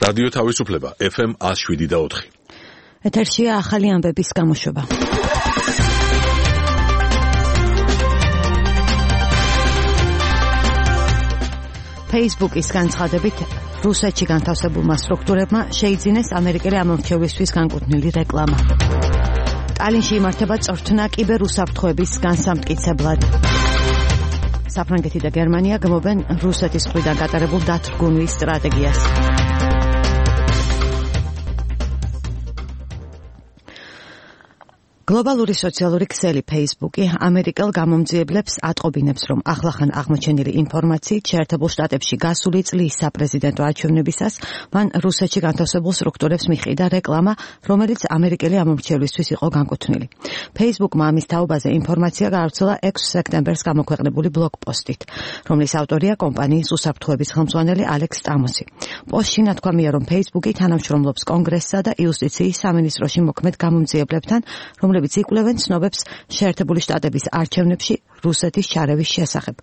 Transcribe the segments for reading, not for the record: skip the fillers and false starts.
რადიო თავისუფლება FM 107.4. ეთერშია ახალი ამბების გამოშვება. Facebook-ის განცხადებით რუსეთში განთავსებულმა სტრუქტურებმა შეიძინეს ამერიკელი ამომრჩევლისთვის განკუთვნილი რეკლამა. ტალინში იმართება წვრთნა კიბერ უსაფრთხოების განსამტკიცებლად. საფრანგეთი და გერმანია გმობენ რუსეთის მხრიდან გატარებულ დათრგუნვის სტრატეგიას. გლობალური სოციალური ქსელი Facebook-ი ამერიკელ გამომძიებლებს ატყობინებს, რომ ახლახან აღმოჩენილი ინფორმაციით შეერთებულ შტატებში გასული წლის საპრეზიდენტო არჩევნებისას მან რუსეთში განთავსებულ სტრუქტურებს მიჰყიდა რეკლამა, რომელიც ამერიკელი ამომრჩევლისთვის იყო განკუთვნილი. Facebook-მა ამის თაობაზე ინფორმაცია გაავრცელა 6 სექტემბერს გამოქვეყნებული ბლოგპოსტით, რომლის ავტორია კომპანიის უსაფრთხოების ხელმძღვანელი ალექს სტამოსი. პოსტში ნათქვამია, რომ Facebook-ი თანამშრომლობს კონგრესსა და იუსტიციის სამინისტროში მოქმედ გამომძიებლებთან, რომლებიც იკვლევენ ცნობებს შეერთებული შტატების არჩევნებში რუსეთის ჩარევის შესახებ.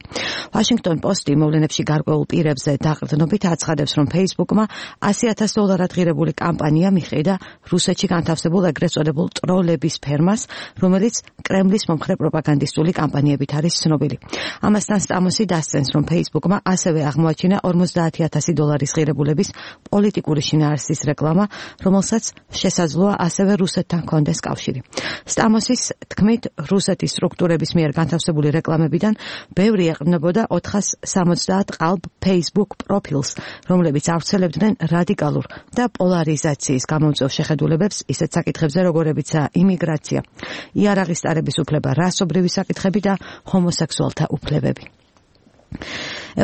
Washington Post-ი მოვლენებში გარკვეულ პირებზე დაყრდნობით აცხადებს, რომ Facebook-მა $100,000 ღირებული კამპანია მიჰყიდა რუსეთში განთავსებულ ეგრეთ წოდებულ ტროლების ფერმას, რომელიც კრემლის მომხრე პროპაგანდისტული კამპანიებით არის ცნობილი. ამასთან სტამოსი დასცენს, რომ Facebook-მა ასევე აღმოაჩინა $50,000 ღირებულების პოლიტიკური შინაარსის რეკლამა, რომელსაც შესაძლოა ასევე რუსეთთან ჰქონდეს კავშირი. სტამოსის თქმით, რუსეთის სტრუქტურების მიერ განთავსებული რეკლამებიდან ბევრი ეყრდნობოდა 470 ყალბ Facebook პროფილს, რომლებიც ავრცელებდნენ რადიკალურ და პოლარიზაციის გამომწვევ შეხედულებებს ისეთ საკითხებზე, როგორებიცაა იმიგრაცია, იარაღის ტარების უფლება, რასობრივი საკითხები და ჰომოსექსუალთა უფლებები.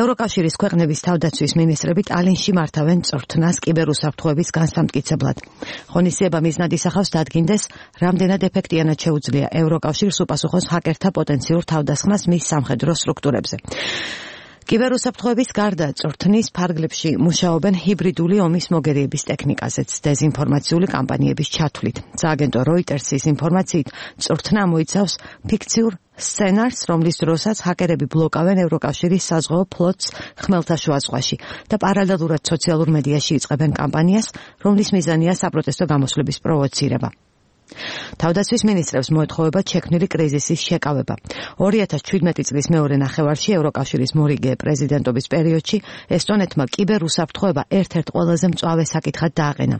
ევროკავშირის ქვეყნების თავდაცვის მინისტრები ტალინში მართავენ წვრთნას კიბერუსაფრთხოების განსამტკიცებლად. ღონისძიება მიზნად ისახავს დადგინდეს, რამდენად ეფექტიანად შეუძლია ევროკავშირს უპასუხოს ჰაკერთა პოტენციურ თავდასხმას მის სამხედრო სტრუქტურებზე. კიბერუსაფრთხოების გარდა წვრთნის ფარგლებში მუშაობენ ჰიბრიდული ომის მოგერიების ტექნიკაზეც დეზინფორმაციული კამპანიების ჩათვლით. სააგენტო Reuters-ის ინფორმაციით, წვრთნა მოიცავს ფიქციურ სცენარს, რომლის დროსაც ჰაკერები ბლოკავენ ევროკავშირის საზღვაო ფლოტს ხმელთაშუა ზღვაში და პარალელურად სოციალურ მედიაში იწყებენ კამპანიას, რომლის მიზანია საპროტესტო გამოსვლების პროვოცირება. თავდაცვის მინისტრებს მოეთხოვება შექმნილი კრიზისის შეკავება. 2017 წლის მეორე ნახევარში ევროკავშირის მორიგე პრეზიდენტობის პერიოდში ესტონეთმა კიბერუსაფრთხოება ერთ-ერთ ყველაზე მწვავე საკითხად დააყენა.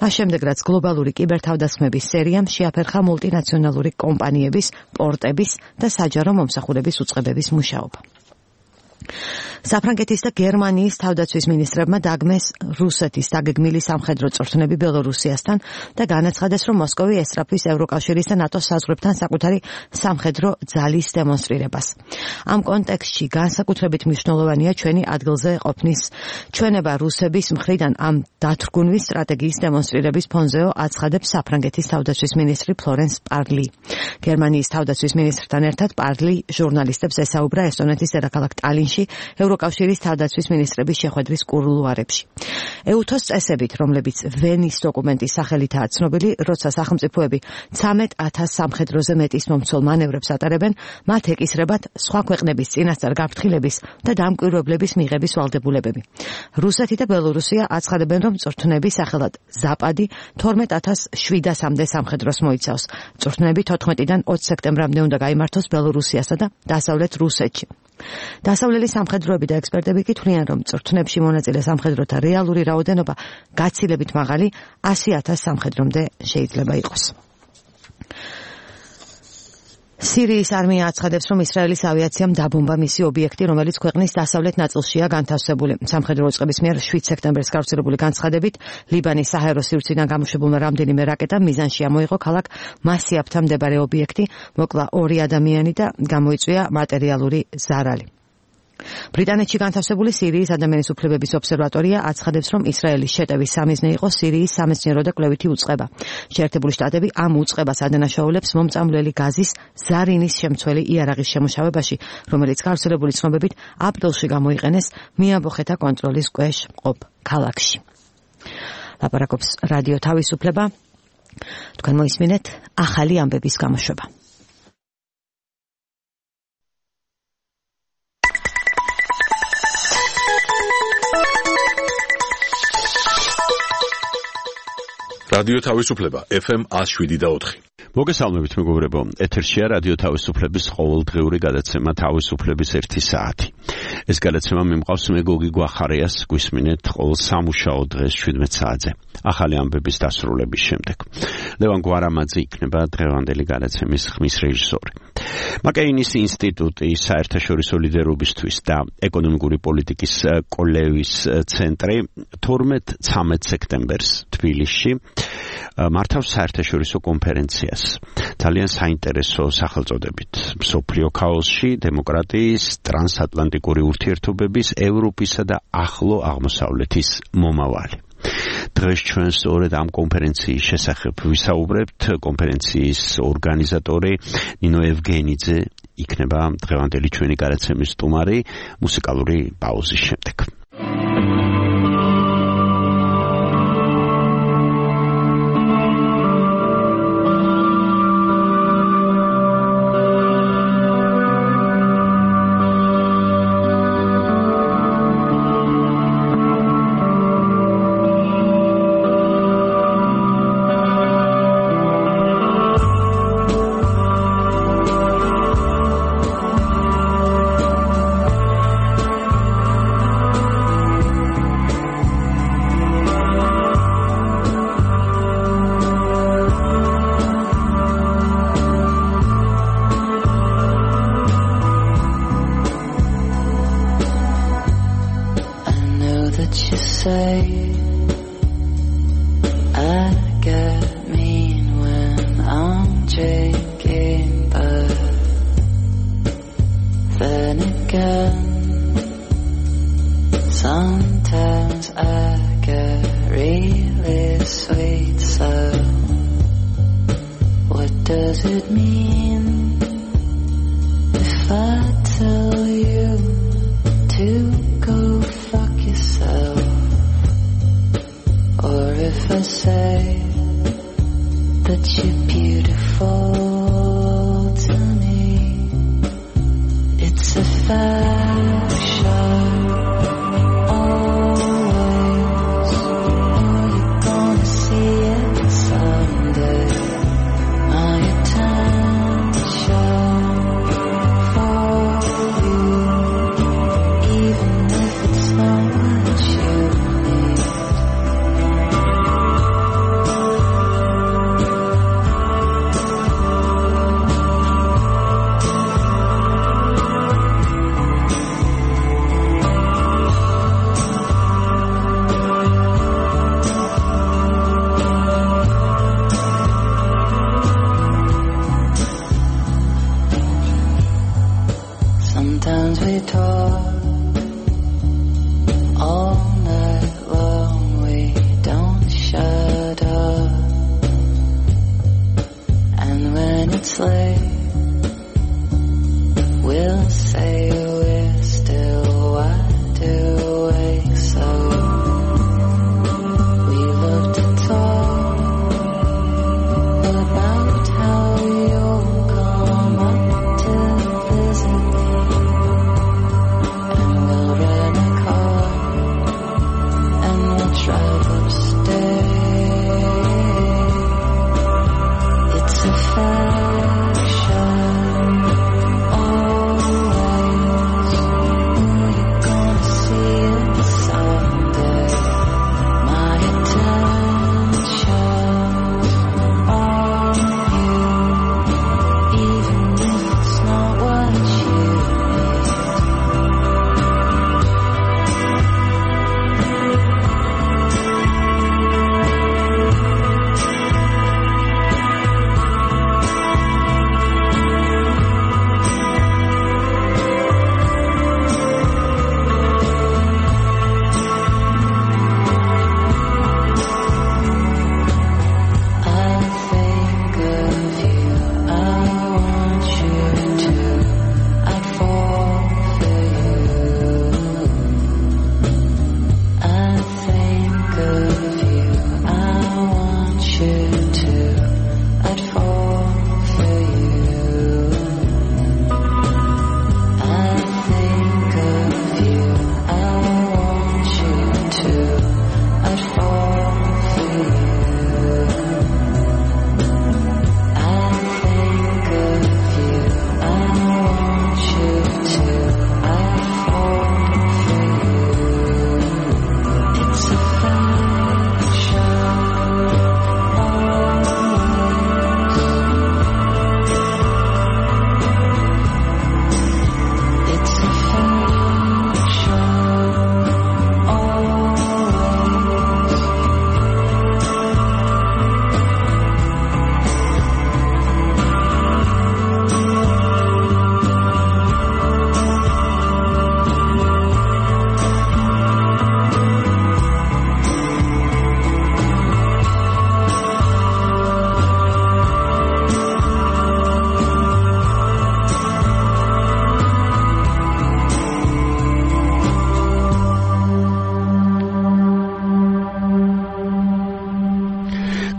მას შემდეგ, რაც გლობალური კიბერთავდასხმების სერიამ შეაფერხა მულტინაციონალური კომპანიების, პორტების და საჯარო მომსახურების უწყებების მუშაობა. საფრანგეთის და გერმანიის თავდაცვის მინისტრებმა დაგმეს რუსეთის დაგეგმილი სამხედრო წვრთნები ბელორუსიასთან და განაცხადეს, რომ მოსკოვი ესწრაფვის ევროკავშირის და ნატოს საზღვრებთან საკუთარი სამხედრო ძალის დემონსტრირებას. ამ კონტექსტში განსაკუთრებით მნიშვნელოვანია ჩვენი ადგილზე ყოფნის ჩვენება რუსების მხრიდან ამ დათრგუნვის სტრატეგიის დემონსტრირების ფონზეო აცხადებს საფრანგეთის თავდაცვის მინისტრი ფლორენს პარლი. გერმანიის თავდაცვის მინისტრთან ერთად პარლი ჟურნალისტებს ესაუბრა ესტონეთის დედაქალაქ ტალინში ევროკავშირის თავდაცვის მინისტრების შეხვედრის კულუარებში. EUTOS წესებით, რომლებიც ვენის დოკუმენტის სახელითაა ცნობილი, როცა სახელმწიფოები 13,000 სამხედროზე მეტის მომცველ მანევრებს ატარებენ, მათ ეკისრებათ სხვა ქვეყნების წინასწარ გაფრთხილების და დამკვირვებლების მიღების ვალდებულებები. რუსეთი და ბელორუსია აცხადებენ, რომ წვრთნები სახელად ზაპადი 12,700-მდე სამხედროს მოიცავს. წვრთნები 14-დან 20 სექტემბრამდე უნდა გაიმართოს ბელორუსიასა და დასავლეთ რუსეთში. დასავლელი სამხედროები და ექსპერტები კი თვლიან, რომ წვრთნებში მონაწილე სამხედროთა რეალური რაოდენობა გაცილებით მაღალი 100,000 სამხედრომდე შეიძლება იყოს. სირიის არმია აცხადებს, რომ ისრაელის ავიაციამ დაბომბა მისი ობიექტი, რომელიც ქვეყნის დასავლეთ ნაწილშია განთავსებული. სამხედრო უწყების მიერ 7 სექტემბერს გავრცელებული განცხადებით, ლიბანის საჰაერო სივრციდან გამოშვებულმა რამდენიმე რაკეტამ მიზანში ამოიღო ქალაქ მასიაფთან მდებარე ობიექტი, მოკლა 2 ადამიანი და გამოიწვია მატერიალური ზარალი. ბრიტანეთში განთავსებული სირიის ადამიანის უფლებების ობსერვატორია აცხადებს, რომ ისრაელის შეტევის სამიზნე იყო სირიის სამეცნიერო და კვლევითი უწყება. შეერთებული შტატები ამ უწყებას ადანაშაულებს მომწამლელი გაზის ზარინის შემცველი იარაღის შემუშავებაში, რომელიც გავრცელებული ცნობებით აპრილში გამოიყენეს მიამბოხეთა კონტროლის ქვეშ მყოფ ქალაქში. ლაპარაკობს რადიო თავისუფლება. თქვენ მოისმინეთ ახალი ამბების გამოშვება. რადიო თავისუფლება FM 107.4. მოგესალმებით მეგობრებო, ეთერშია რადიო თავისუფლების ყოველდღიური გადაცემა თავისუფლების 1 საათი. ეს გადაცემა მიმყავს მე გოგი გვახარიას, გვისმინეთ ყოველ სამუშაო დღეს 17 საათზე. ახალი ამბების დასრულების შემდეგ. ლევან გვარამაძე იქნება დღევანდელი გადაცემის ხმის რეჟისორი. მაკეინის ინსტიტუტი საერთაშორისო ლიდერობისთვის და ეკონომიკური პოლიტიკის კოლევის ცენტრი 12-13 სექტემბერს თბილისში მართავს საერთაშორისო კონფერენციას. ძალიან საინტერესო სახელწოდებით. მსოფლიო ქაოსში დემოკრატიის, ტრანსატლანტიკური ურთიერთობების, ევროპისა და ახლო აღმოსავლეთის მომავალი. დღეს ჩვენ სწორედ ამ კონფერენციის შესახებ ვისაუბრებთ. კონფერენციის ორგანიზატორი ნინო ევგენიძე იქნება დღევანდელი ჩვენი გადაცემის სტუმარი მუსიკალური პაუზის შემდეგ. It's a faction always.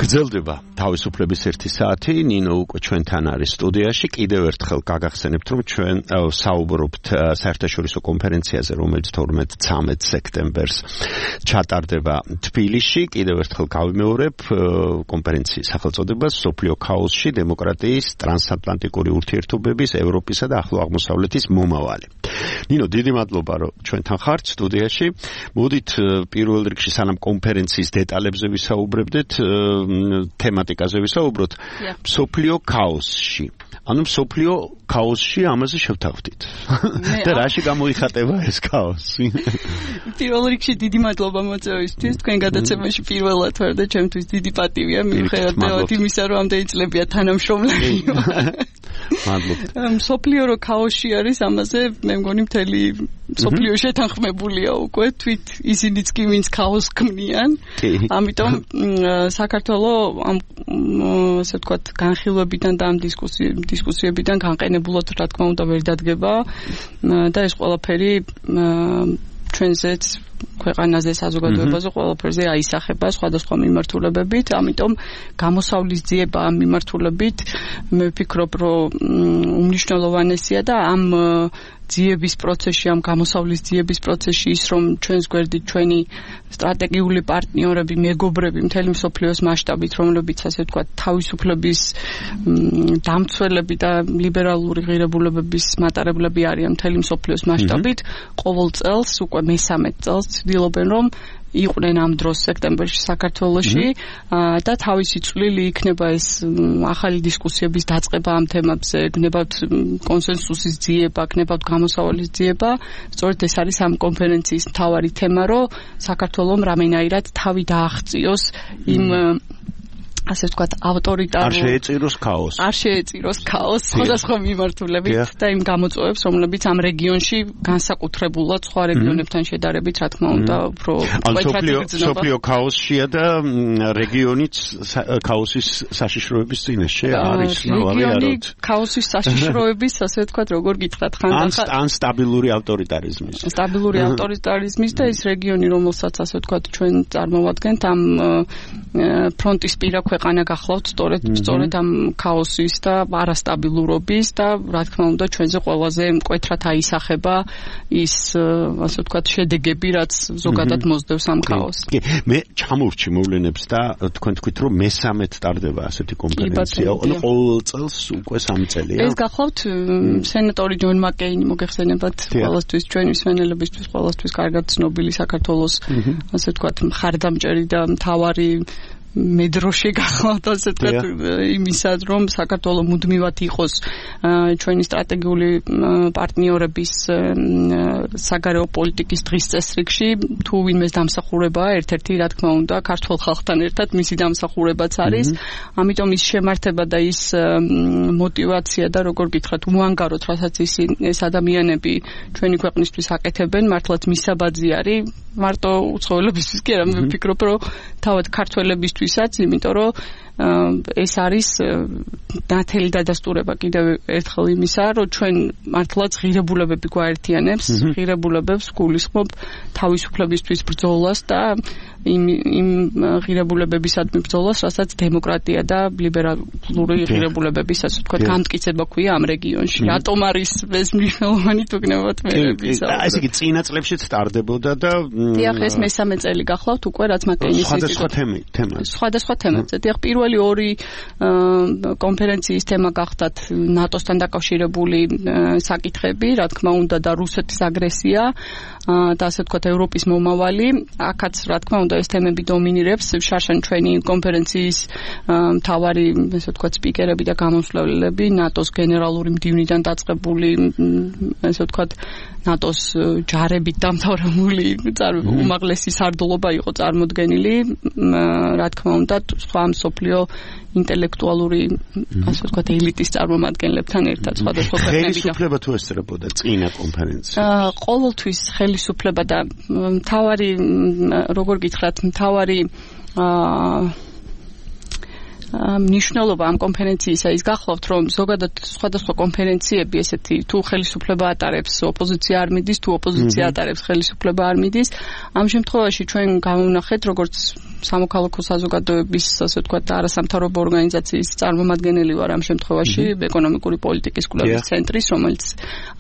გრძელდება თავისუფლების 1 საათი. ნინო უკვე ჩვენთან არის სტუდიაში. კიდევ ერთხელ გაგახსენებთ, რომ ჩვენ საუბრობთ საერთაშორისო კონფერენციაზე, რომელიც 12-13 სექტემბერს ჩატარდება თბილისში. კიდევ ერთხელ გავიმეორებ კონფერენციის სახელწოდებას მსოფლიო ქაოსში დემოკრატიის, ტრანსატლანტიკური ურთიერთობების, ევროპისა და ახლო აღმოსავლეთის მომავალი. ნინო, დიდი მადლობა, რომ ჩვენთან ხართ სტუდიაში. მოდით პირველ რიგში სანამ კონფერენციის დეტალებზე ვისაუბრებდეთ, თემატიკაზე ვისაუბროთ. მსოფლიო ქაოსში. ანუ მსოფლიო ქაოსში ამაზე შევთავაზეთ. და რაში გამოიხატება ეს ქაოსი? პირველ რიგში დიდი მადლობა მოწვევისთვის. თქვენ გადაცემაში პირველად ვარ და ჩემთვის დიდი პატივია მიუხედავად იმისა, რომ ამდენი წლებია თანამშრომლები. მადლობა. მსოფლიო ქაოსში არის, ამაზე მე მგონი მთელი მსოფლიო შეთანხმებულია უკვე, თვით ისინიც კი ვინც ქაოსს ქმნიან. ამიტომ საქართველოს ამ ასე ვთქვათ განხილვებიდან და ამ დისკუსიებიდან განყენებულად რა თქმა უნდა ვერ დადგება და ეს ყველაფერი ჩვენზეც ქვეყანაზე საზოგადოებაზე ყველაფერზე აისახება სხვადასხვა მიმართულებებით, ამიტომ გამოსავლის ძიება ამ მიმართულებით მე ვფიქრობ, რომ უმნიშვნელოვანესია და ამ ძიების პროცესში, ამ გამოსავლის ძიების პროცესში ის, რომ ჩვენს გვერდით ჩვენი სტრატეგიული პარტნიორები, მეგობრები მთელი მსოფლიოს მასშტაბით, რომლებიც ასე ვთქვათ თავისუფლების დამცველები და ლიბერალური ღირებულებების მატარებლები არიან მთელი მსოფლიოს მასშტაბით, ყოველ წელს უკვე მე-13 წელს ცდილობენ, რომ იყვნენ ამ დროს სექტემბერში საქართველოში და თავისი წვლილი იქნება ეს ახალი დისკუსიების დაწყება ამ თემებზე, გნებავთ კონსენსუსის ძიება, გნებავთ გამოსავალის ძიება. სწორედ ეს არის ამ კონფერენციის მთავარი თემა, რომ საქართველოს რამენაირად თავი დააღწიოს იმ ასე ვთქვათ ავტორიტარულ არ შეეწიროს ქაოსს. არ შეეწიროს ქაოსს სხვადასხვა მიმართულებით და იმ გამოწვევებს, რომლებიც ამ რეგიონში განსაკუთრებულად სხვა რეგიონებთან შედარებით, რა თქმა უნდა, უფრო მკვეთრად იგრძნობა. მსოფლიო ქაოსშია და რეგიონიც ქაოსის საშიშროების წინაშე არის. რეგიონი ქაოსის საშიშროების, ასე ვთქვათ, როგორ გითხრათ, ხანდახან ან სტაბილური ავტორიტარიზმის. სტაბილური ავტორიტარიზმის და ეს რეგიონი, რომელსაც ასე ვთქვათ, ჩვენ წარმოვადგენთ ამ ფრონტისპირა ქვეყანა გახლავთ სწორედ ამ ქაოსის და არასტაბილურობის და რა თქმა უნდა ჩვენზე ყველაზე მკვეთრად აისახება ის ასე ვთქვათ შედეგები, რაც ზოგადად მოსდევს ამ ქაოსს. კი, მე ჩამოვრჩი მოვლენებს და თქვენ თქვით, რომ მე-13 ტარდება ასეთი კონფერენცია, ანუ ყოველ წელს უკვე 3 წელია. ეს გახლავთ სენატორი ჯონ მაკეინი, მოგეხსენებათ, ყველასთვის ჩვენი მსმენელებისთვის ყველასთვის კარგად ცნობილი საქართველოს ასე ვთქვათ მხარდამჭერი და მთავარი მედროშე გახლავთ ასე ვთქვათ იმისა, რომ საქართველოს მუდმივად იყოს ჩვენი სტრატეგიული პარტნიორების საგარეო პოლიტიკის დღის წესრიგში, თუ ვინმეს დამსახურებაა ერთ-ერთი, რა თქმა უნდა, ქართულ ხალხთან ერთად მისი დამსახურებაც არის. ამიტომ ის შემართება და ის мотиваცია და როგორ გითხრათ, უანგაროთ, რასაც ეს ადამიანები ჩვენი ქვეყნისთვის აკეთებენ, მართლაც მისაბაძი არის, მარტო უცხოელებისთვის კი არა, მე ვფიქრობ, რომ თავად ქართველებისთვისაც, იმიტომ რომ ეს არის ნათელი დადასტურება კიდევ ერთხელ იმისა, რომ ჩვენ მართლაც ღირებულებები გვაერთიანებს, ღირებულებებს გულისხმობ თავისუფლებისთვის ბრძოლას და იმ ღირებულებებისადმი ბრძოლას, რასაც დემოკრატია და ლიბერალური ღირებულებების, ასე ვთქვათ, განმტკიცება ქვია ამ რეგიონში. რატომ არის ეს მნიშვნელოვანი თუ გნებავთ მე? ესე იგი წინა წლებშიც ტარდებოდა და დიახ, ეს მე-13 წელი გახლავთ უკვე, რაც მაკეინის სხვადასხვა თემა. სხვადასხვა თემებზე. დიახ, პირველი ორი კონფერენციის თემა გახდათ ნატოსთან დაკავშირებული საკითხები, რა თქმა უნდა, და რუსეთის აგრესია და ასე ვთქვათ ევროპის მომავალი. აქაც რა თქმა უნდა ეს თემები დომინირებს. შარშან ჩვენი კონფერენციის მთავარი, ასე ვთქვათ, სპიკერები და გამოსვლელები ნატოს გენერალური მდივნიდან დაწყებული, ასე ვთქვათ, ნატოს ჯარებით დამთავრებული უმაღლესი სარდლობა იყო წარმოდგენილი, რა თქმა უნდა, სხვა მსოფლიო ინტელექტუალური, ასე ვთქვათ, ელიტის წარმომადგენლებთან ერთად სხვადასხვა ქვეყნებიდან. ხელისუფლება თუ ესწრებოდა წინა კონფერენციაში? ყოველთვის ხელისუფლება და მთავარი, როგორ გითხრათ, მთავარი მნიშვნელობა ამ კონფერენციისა ის გახლავთ, რომ ზოგადად სხვადასხვა კონფერენციები ესეთი თუ ხელისუფლება ატარებს, ოპოზიცია არ მიდის, თუ ოპოზიცია ატარებს, ხელისუფლება არ მიდის. ამ შემთხვევაში ჩვენ გამოვნახეთ, როგორც სამოქალაქო საზოგადოების, ასე ვთქვათ, არასამთავრობო ორგანიზაციის წარმომადგენელი ვარ ამ შემთხვევაში, ეკონომიკური პოლიტიკის კვლევის ცენტრის, რომელიც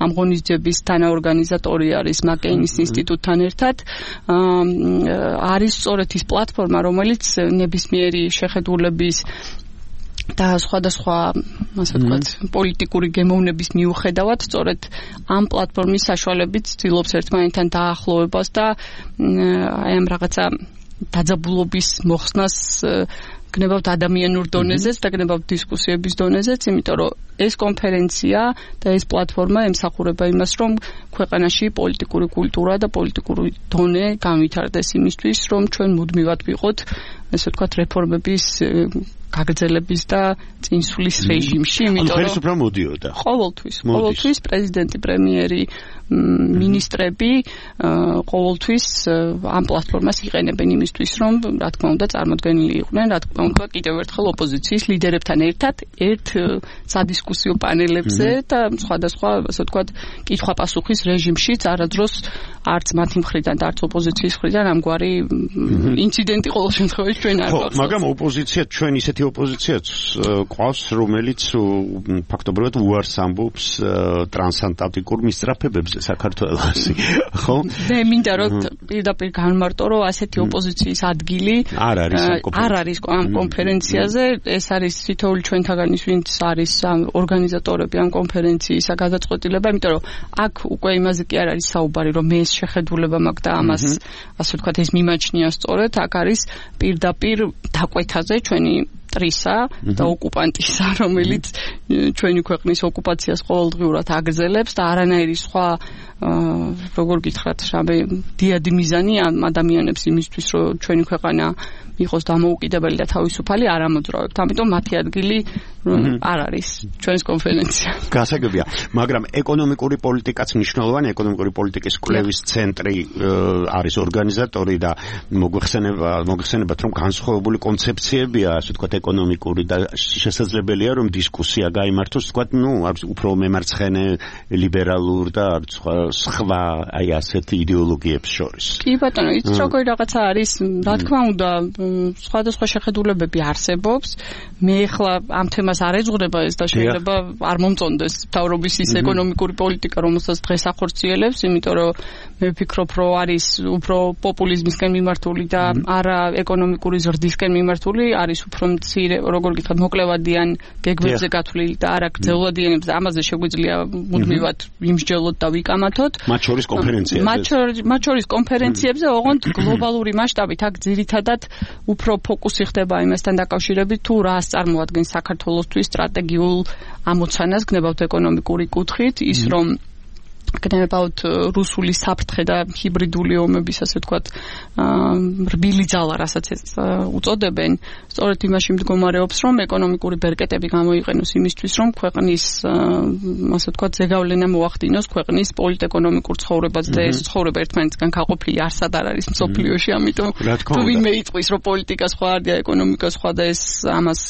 ამ ღონისძიების თანაორგანიზატორი არის მაკეინის ინსტიტუტთან ერთად. არის სწორედ ის პლატფორმა, რომელიც ნებისმიერი შეხედულების და სხვადასხვა, ასე ვთქვათ, პოლიტიკური გემოვნების მიუხედავად, სწორედ ამ პლატფორმის საშუალებით ცდილობს ერთმანეთთან დაახლოვებას და აი ამ რაღაცა დაძაბულობის მოხსნას გნებავთ ადამიანურ დონეზეც და გნებავთ დისკუსიების დონეზეც, იმიტომ რომ ეს კონფერენცია და ეს პლატფორმა ემსახურება იმას, რომ ქვეყანაში პოლიტიკური კულტურა და პოლიტიკური დონე განვითარდეს იმისთვის, რომ ჩვენ მუდმივად ვიყოთ, ასე ვთქვათ, რეფორმების გაგრძელების და წინსვლის რეჟიმში, იმიტომ რომ ხელისუფლება მოდიოდა. ყოველთვის პრეზიდენტი, პრემიერი, მინისტრები ყოველთვის ამ პლატფორმას იყენებენ იმისთვის, რომ რა თქმა უნდა წარმოდგენილი იყვნენ, რა თქმა უნდა კიდევ ერთხელ ოპოზიციის ლიდერებთან ერთად ერთ სადისკუსიო პანელებზე და სხვადასხვა, ასე ვთქვათ, კითხვა-პასუხის რეჟიმშიც არადროს არც მათი მხრიდან და არც ოპოზიციის მხრიდან ამგვარი ინციდენტი ყოველ შემთხვევაში ჩვენ არ გვაქვს. მაგრამ ოპოზიცია ჩვენ ისეთი ოპოზიციაც ყავს, რომელიც ფაქტობრივად უარს ამბობს ტრანსატლანტიკურ მისწრაფებებზე საქართველოს, ხო? მე მინდა რომ პირდაპირ განმარტო, რომ ასეთი ოპოზიციის ადგილი არ არის ამ კონფერენციაზე, ეს არის თითოეული ჩვენთაგანის, ვინც არის ორგანიზატორები ამ კონფერენციისა გადაწყვეტილება, იმიტომ რომ აქ უკვე იმაზე კი არ არის საუბარი, რომ მე ეს შეხედულება მაქვს და ამას, ასე ვთქვათ, ეს მიმაჩნია სწორედ, აქ არის პირდაპირ დაკვეთაზე ჩვენი ტრისა და ოკუპანტისა, რომელიც ჩვენი ქვეყნის ოკუპაციას ყოველდღიურად აგრძელებს და არანაირი სხვა როგორ გითხრათ, რამე დიადი მიზანი ამ ადამიანებს იმისთვის, რომ ჩვენი ქვეყანა იყოს დამოუკიდებელი და თავისუფალი არ ამოძრავებთ. ამიტომ მათი ადგილი არ არის ჩვენს კონფერენცია. გასაგებია, მაგრამ ეკონომიკური პოლიტიკაც მნიშვნელოვანი, ეკონომიკური პოლიტიკის კვლევის ცენტრი არის ორგანიზატორი და მოგვიხსენებათ, რომ განსხვავებული კონცეფციებია, ასე ვთქვათ, ეკონომიკური და შესაძლებელია, რომ დისკუსია გაიმართოს, ვთქვათ, უფრო მემარცხენე, ლიბერალურ და სხვა აი ასეთი იდეოლოგიებს შორის. კი ბატონო, იცით როგორი რაღაცა არის, რა თქმა უნდა, სხვადასხვა შეხედულებები არსებობს. მე ახლა ამ თემას არ ეძღვრება ეს და შეიძლება არ მომწონდეს მთავრობის ის ეკონომიკური პოლიტიკა, რომელსაც დღეს ახორციელებს, იმიტომ რომ მე ვფიქრობ, რომ არის უფრო პოპულიზმისკენ მიმართული და არა ეკონომიკური ზრდისკენ მიმართული, არის უფრო მცირე, როგორ გითხრათ, მოკლევადიან გეგმებზე გათვლილი და არა გრძელვადიანებს და ამაზე შეგვიძლია მუდმივად ვიმსჯელოთ და ვიკამათოთ. მათ შორის კონფერენციებზე. მათ შორის კონფერენციებზე, ოღონდ გლობალური მასშტაბით აქ ძირითადად უფრო ფოკუსი ხდება იმასთან დაკავშირებით, თუ რას წარმოადგენს საქართველოსთვის სტრატეგიულ ამოცანას გნებავთ ეკონომიკური კუთხით, ის რომ გნებავთ რუსული საფრთხე და ჰიბრიდული ომების, ასე ვთქვათ, რბილი ძალა, რასაც უწოდებენ, სწორედ იმაში მდგომარეობს, რომ ეკონომიკური ბერკეტები გამოიყენოს იმისთვის, რომ ქვეყნის, ასე ვთქვათ, ზეგავლენა მოახდინოს ქვეყნის პოლიტ-ეკონომიკურ ცხოვრებაზე და ეს ცხოვრება ერთმანეთისგან გაყოფილი არსად არ არის მსოფლიოში, ამიტომ თუ ვინმე იტყვის, რომ პოლიტიკა სხვა არია, ეკონომიკა სხვა და ეს ამას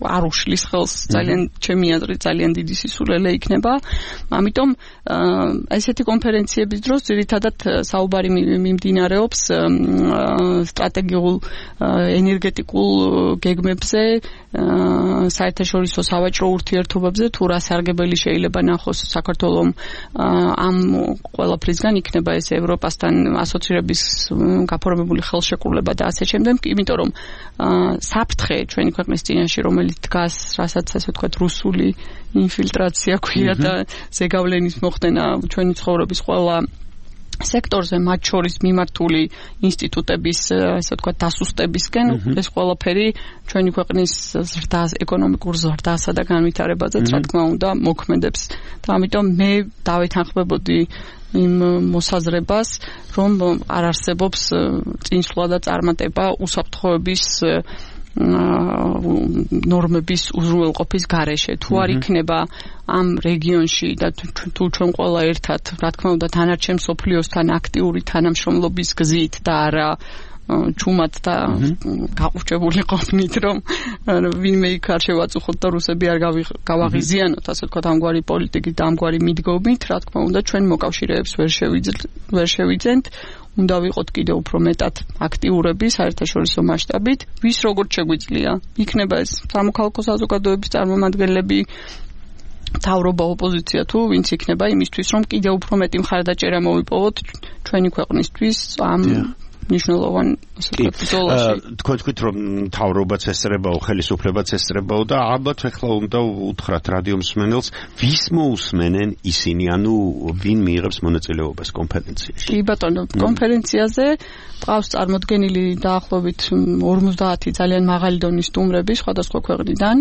არ უშლის ხელს, ძალიან ჩემი აზრით ძალიან დიდი სისულელე იქნება. ამიტომ ესეთი კონფერენციების დროს ძირითადად საუბარი მიმდინარეობს სტრატეგიულ ენერგეტიკულ გეგმებზე, საერთაშორისო სავაჭრო ურთიერთობებზე, თუ რა სარგებელი შეიძლება ნახოს საქართველოს ამ ყველაფრისგან, იქნება ეს ევროპასთან ასოცირების გაფორმებული ხელშეკრულება და ასე შემდეგ, იმიტომ რომ საფრთხე ჩვენი ქვეყნის წინაშე, რომელიც დგას, რასაც ასე ვთქვათ, რუსული ინფილტრაცია ქვია და ზეგავლენის მოხდენა ჩვენი ცხოვრების ყველა სექტორზე, მათ შორის მიმართული ინსტიტუტების, ასე ვთქვათ, დასუსტებისკენ, ეს ყველაფერი ჩვენი ქვეყნის ზრდას, ეკონომიკურ ზრდასა და განვითარებაზეც, რა თქმა უნდა, მოქმედებს. და ამიტომ მე დავეთანხმებოდი იმ მოსაზრებას, რომ არ არსებობს წინსვლა და წარმატება უსაფრთხოების ნორმების უზრუნველყოფის გარეშე. თუ არ იქნება ამ რეგიონში და თუ ჩვენ ყველა ერთად, რა თქმა უნდა, თანარჩენ მსოფლიოსთან აქტიური თანამშრომლობის გზით და არა ჩუმად და გაყურჩებული ყოფნით, რომ ვინმე იქ არ შევაწუხოთ და რუსები არ გავაღიზიანოთ, ასე ვთქვათ, ამგვარი პოლიტიკით და ამგვარი მიდგომით, რა თქმა უნდა, ჩვენ მოკავშირეებს ვერ შევიძენთ. უნდა ვიყოთ კიდევ უფრო მეტად აქტიურები საერთაშორისო მასშტაბით. ვის როგორც შეგვიძლია, იქნება ეს სამოქალაქო საზოგადოების წარმომადგენლები, თავრობა, ოპოზიცია თუ ვინც იქნება იმისთვის, რომ კიდევ უფრო მეტი მხარდაჭერა მოვიპოვოთ ჩვენი ქვეყნისთვის ამ ნიშნულოვან ბრძოლაში. თქვენ თქვით, რომ თავრობაც ესწრებაო, ხელისუფლებაც ესწრებაო და ალბათ ახლა უნდა უთხრათ რადიო მსმენელს, ვის მოусმენენ ისინი, ანუ ვინ მიიღებს მონაწილეობას კონფერენციაში? კი ბატონო, კონფერენციაზე ყავს წარმოდგენილი დაახლოებით 50 ძალიან მაღალი დონის სტუმრები სხვადასხვა ქვეყნიდან.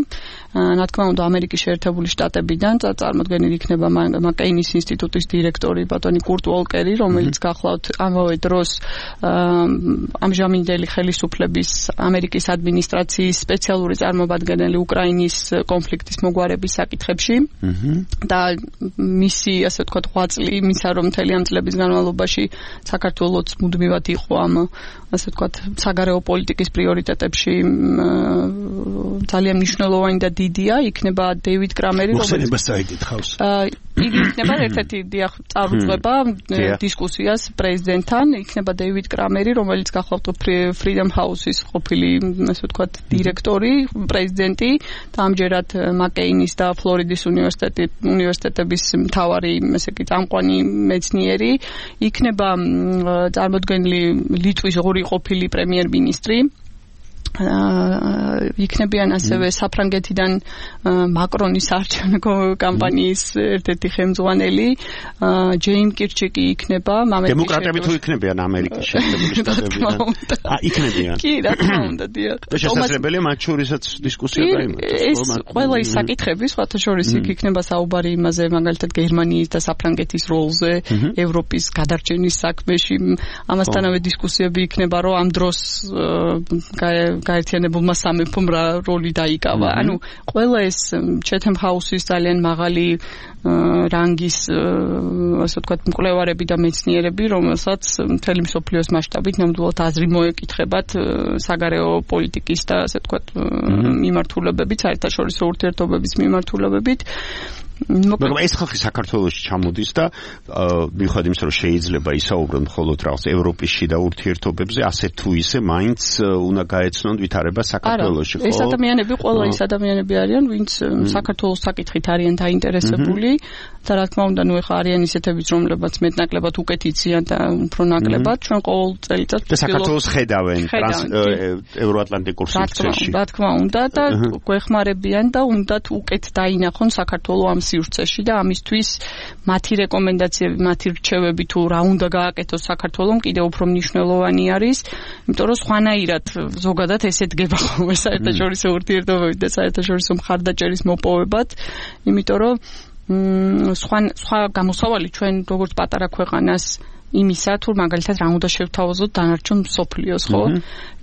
რა თქმა უნდა, ამერიკის შეერთებული შტატებიდან წარმოდგენილი იქნება მაკეინის ინსტიტუტის დირექტორი ბატონი კურტ უოლკერი, რომელიც გახლავთ ამავე დროს ამჟამინდელი ხელისუფლების ამერიკის ადმინისტრაციის სპეციალური წარმომადგენელი უკრაინის კონფლიქტის მოგვარების საკითხებში და მისი, ასე ვთქვათ, ღვაწლი იმისა, რომ მთელი ამ წლების განმავლობაში საქართველოს მუდმივად იყო ამ, ასე ვთქვათ, საგარეო პოლიტიკის პრიორიტეტებში ძალიან მნიშვნელოვანი და დიდია, იქნება დეივიდ კრამერი, მოხსენება საიდით ხავს. იგი იქნება ერთ-ერთი წარუძღვება დისკუსიას პრეზიდენტთან, იქნება დეივიდ კრამერი, რომელიც გახლავთ Freedom House-ის ყოფილი, ასე ვთქვათ, დირექტორი, პრეზიდენტი და ამჯერად მაკეინის და ფლორიდის უნივერსიტეტების მთავარი, ესე იგი, წამყვანი მეცნიერი, იქნება წარმოდგენილი ლიტვის ორი ყოფილი პრემიერ-მინისტრი, იქნებიან ასევე საფრანგეთიდან მაკრონის არჩევნო კამპანიის ერთ-ერთი ხელმძღვანელი ჯეიმ კირჩიკი იქნება დემოკრატები თუ იქნებიან ამერიკის შეერთებული შტატებიდან იქნებიან კი რა თქმა უნდა დიახ და შესაძლებელია მათ შორისაც დისკუსია გაიმართოს ეს ყველა ის საკითხები სხვათა შორის იქნება საუბარი იმაზე მაგალითად გერმანიის და საფრანგეთის როლზე ევროპის გადარჩენის საქმეში ამასთანავე დისკუსიები იქნება რომ ამ დროს გაერთიანებულმა სამეფომ რა როლი დაიკავა. ანუ ყველა ეს Chatham House-ის ძალიან მაღალი რანგის, ასე ვთქვათ, მკვლევარები და მეცნიერები, რომელსაც მთელი მსოფლიოს მასშტაბით ნამდვილად აზრი მოეკითხებათ საგარეო პოლიტიკის და ასე ვთქვათ მიმართულებებით, საერთაშორისო ურთიერთობების მიმართულებებით. მაგრამ ეს ხალხი საქართველოში ჩამოდის და მიუხედავად იმისა, რომ შეიძლება ისაუბრონ მხოლოდ რაღაც ევროპის შიდა ურთიერთობებზე, ასე თუ ისე მაინც უნდა გაეცნონ ვითარება საქართველოში, ხო? ეს ადამიანები ყველა ის ადამიანები არიან, ვინც საქართველოს საკითხით არიან დაინტერესებული და რა თქმა უნდა, ნუ ეხა არიან ისეთებიც, რომლებიც მეტნაკლებად უკეთ იციან და უფრო ნაკლებად, ჩვენ ყოველ წელიწადს და საქართველოს ხედავენ ევროატლანტიკურ სივრცეში. რა თქმა უნდა და გვეხმარებიან და უნდათ უკეთ დაინახონ საქართველოს ამ სივრცეში და ამისთვის მათი რეკომენდაციები, მათი რჩევები თუ რა უნდა გააკეთოს საქართველოს კიდევ უფრო მნიშვნელოვანი არის, იმიტომ რომ სხვანაირად ზოგადად ესე დგება ხოლმე საერთაშორისო ურთიერთობები და საერთაშორისო მხარდაჭერის მოპოვებად, იმიტომ რომ სხვა გამოსავალი ჩვენ როგორც პატარა ქვეყანას იმისა, თუ მაგალითად რა უნდა შევთავაზოთ დანარჩენ მსოფლიოს, ხო?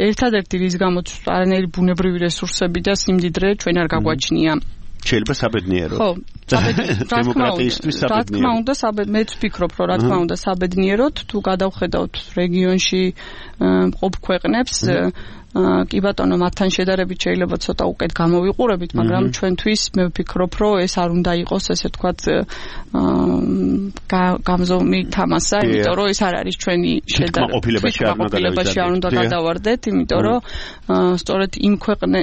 ერთადერთი რის გამოც არანაირი ბუნებრივი რესურსები და სიმდიდრე ჩვენ არ გაგვაჩნია. შეიძლება საბედნიერო. ხო, დემოკრატიისთვის საბედნიერო. რა თქმა უნდა, მეც ვფიქრობ, რომ რა თქმა უნდა საბედნიეროდ, თუ გადავხედავთ რეგიონში მყოფ ქვეყნებს, კი ბატონო, მათთან შედარებით შეიძლება ცოტა უკეთ გამოვიყურებით, მაგრამ ჩვენთვის მე ვფიქრობ, რომ ეს არ უნდა იყოს, ესე ვთქვათ, გამზომი თამასა, იმიტომ რომ ეს არ არის ჩვენი შედარებაში არ უნდა გადავარდეთ, იმიტომ რომ სწორედ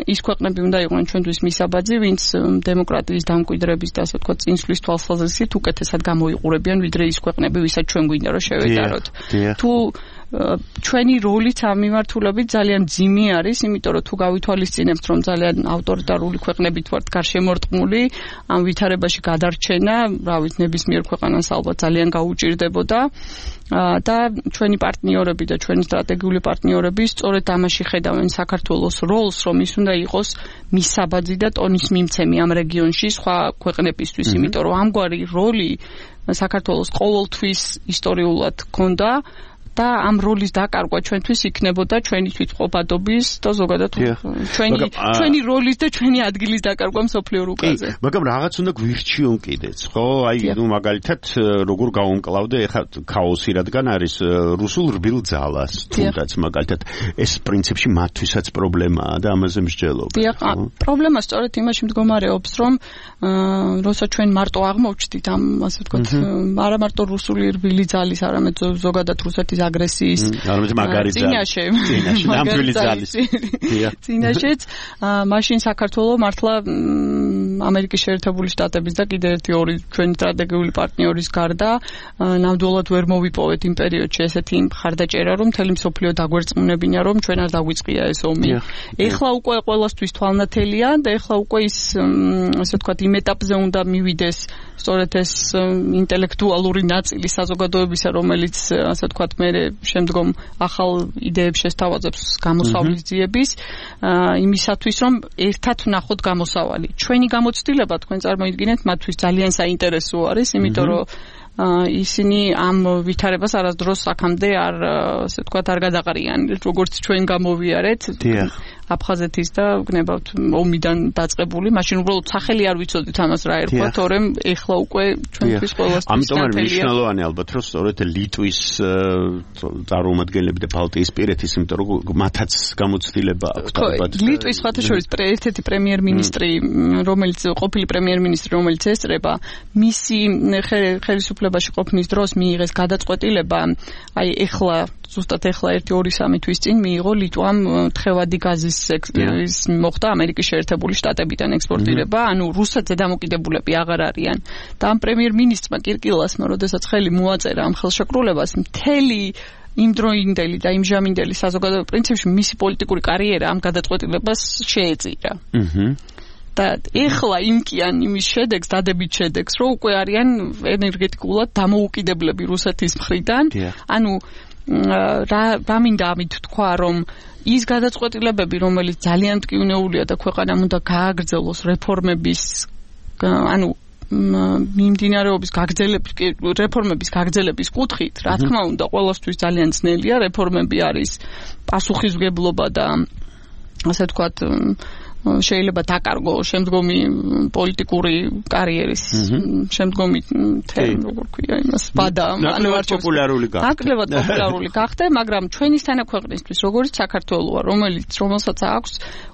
ის ქვეყნები უნდა იყვნენ ჩვენთვის მისაბაძი, ვინც დემოკრატიის დამკვიდრების და ასე ვთქვათ, წინსვლის თვალსაზრისით უკეთესად გამოიყურებიან, ვიდრე ის ქვეყნები, ვისაც ჩვენ გვინდა რომ შევეტაროთ. თუ ჩვენი როლიც ამ მიმართულებით ძალიან ძიმი არის, იმიტომ რომ თუ გავითვალისწინებთ, რომ ძალიან ავტორიტარული ქვეყნებით ვართ გარშემორტყმული, ამ ვითარებაში გადარჩენა, რა ვიცი, ნებისმიერ ქვეყანას ალბათ ძალიან გაუჭირდებოდა და ჩვენი პარტნიორები და ჩვენი სტრატეგიული პარტნიორები სწორედ ამაში ხედავენ საქართველოს როლს, რომ ის უნდა იყოს მისაბაძი და ტონის მიმცემი ამ რეგიონში სხვა ქვეყნებისთვის, იმიტომ რომ ამგვარი როლი საქართველოს ყოველთვის ისტორიულად ჰქონდა და ამ როლის დაკარგვა ჩვენთვის იქნებოდა ჩვენი თვითმყოფადობის და ზოგადად ჩვენი როლის და ჩვენი ადგილის დაკარგვა მსოფლიო რუკაზე. მაგრამ რაღაც უნდა გვირჩიონ კიდეც, ხო? აი, მაგალითად, როგორ გავუმკლავდე ეხლა ქაოსი, რადგან არის რუსულ რბილ ძალას, თუნდაც მაგალითად ეს პრინციპში მათთვისაც პრობლემაა და ამაზე მსჯელობ. პრობლემა სწორედ იმაში მდგომარეობს, რომ როცა ჩვენ მარტო აღმოჩნდით ამ ასე ვთქვათ, არა მარტო რუსული რბილი ძალის, არამედ ზოგადად რუსეთის აგრესიის წინაშე ნამდვილი ძალის წინაშეც მაშინ საქართველოს მართლა ამერიკის შეერთებული შტატების და კიდევ ერთი ორი ჩვენი სტრატეგიული პარტნიორის გარდა ნამდვილად ვერ მოვიპოვეთ იმ პერიოდში ესეთი მხარდაჭერა, რომ მთელი მსოფლიო დაგვერწმუნებინა, რომ ჩვენ არ დაგვიწყია ეს ომი. ეხლა უკვე ყველასთვის თვალნათელია და ეხლა უკვე ის ასე ვთქვათ იმ ეტაპზე უნდა მივიდეს სწორედ ეს ინტელექტუალური ნაწილი საზოგადოებისა, რომელიც ასე ვთქვათ მე შემდგომ ახალ იდეებს შესთავაზებს გამოსავლის ძიების იმისათვის, რომ ერთად ვნახოთ გამოსავალი. ჩვენი გამოცდილება თქვენ წარმოიდგინეთ მათთვის ძალიან საინტერესო არის, იმიტომ რომ ისინი ამ ვითარებას არასდროს აქამდე არ ასე ვთქვათ არ გადაყრიან, როგორც ჩვენ გამოვიარეთ. აფხაზეთის და გნებავთ ომიდან დაწყებული, მაშინ უბრალოდ სახელი არ ვიცოდით ამას რა ერქვა, თორემ ეხლა უკვე ჩვენთვის ყველასთვის ამიტომ არის მნიშვნელოვანი ალბათ, რომ სწორედ ლიტვის წარმომადგენლები და ბალტიისპირეთის, იმიტომ რომ მათაც გამოცდილება აქვთ ალბათ. ლიტვის სხვათა შორის ერთ-ერთი პრემიერ-მინისტრი, რომელიც ყოფილი პრემიერ-მინისტრი, რომელიც ესწრება, მისი ხელისუფლებაში ყოფნის დროს მიიღეს გადაწყვეტილება, აი ეხლა ზუსტად ეხლა 1-2-3 თვის წინ მიიღო ლიტვამ თხევადი გაზის მოხდა ამერიკის შეერთებული შტატებიდან ექსპორტირება, ანუ რუსეთზე დამოკიდებულები აღარ არიან. და ამ პრემიერ-მინისტრმა კირკილასმა, როდესაც ხელი მოაწერა ამ ხელშეკრულებას, მთელი იმდროინდელი და იმჟამინდელი საზოგადოება პრინციპში მისი პოლიტიკური კარიერა ამ გადაწყვეტილებას შეეწირა. და ეხლა იმკიან იმის შედეგს, დადებით შედეგს, რომ უკვე არიან ენერგეტიკულად დამოუკიდებლები რუსეთის მხრიდან. ანუ რა მინდა ამით თქვა, რომ ის გადაწყვეტილებები, რომელიც ძალიან მტკივნეულია და ქვეყანამ უნდა გააგრძელოს რეფორმების, ანუ მიმდინარეობის რეფორმების გაგრძელების კუთხით, რა თქმა უნდა, ყველასთვის ძალიან ძნელია, რეფორმები არის პასუხისმგებლობა და ასე ვთქვათ, შეიძლება დაკარგო შემდგომი პოლიტიკური კარიერის შემდგომი როგორ ქვია იმას ბადა ანუ არ პოპულარული გახდა. აკლებად პოპულარული გახდა, მაგრამ ჩვენისთანა ქვეყნისთვის, როგორც საქართველოა, რომელსაც აქვს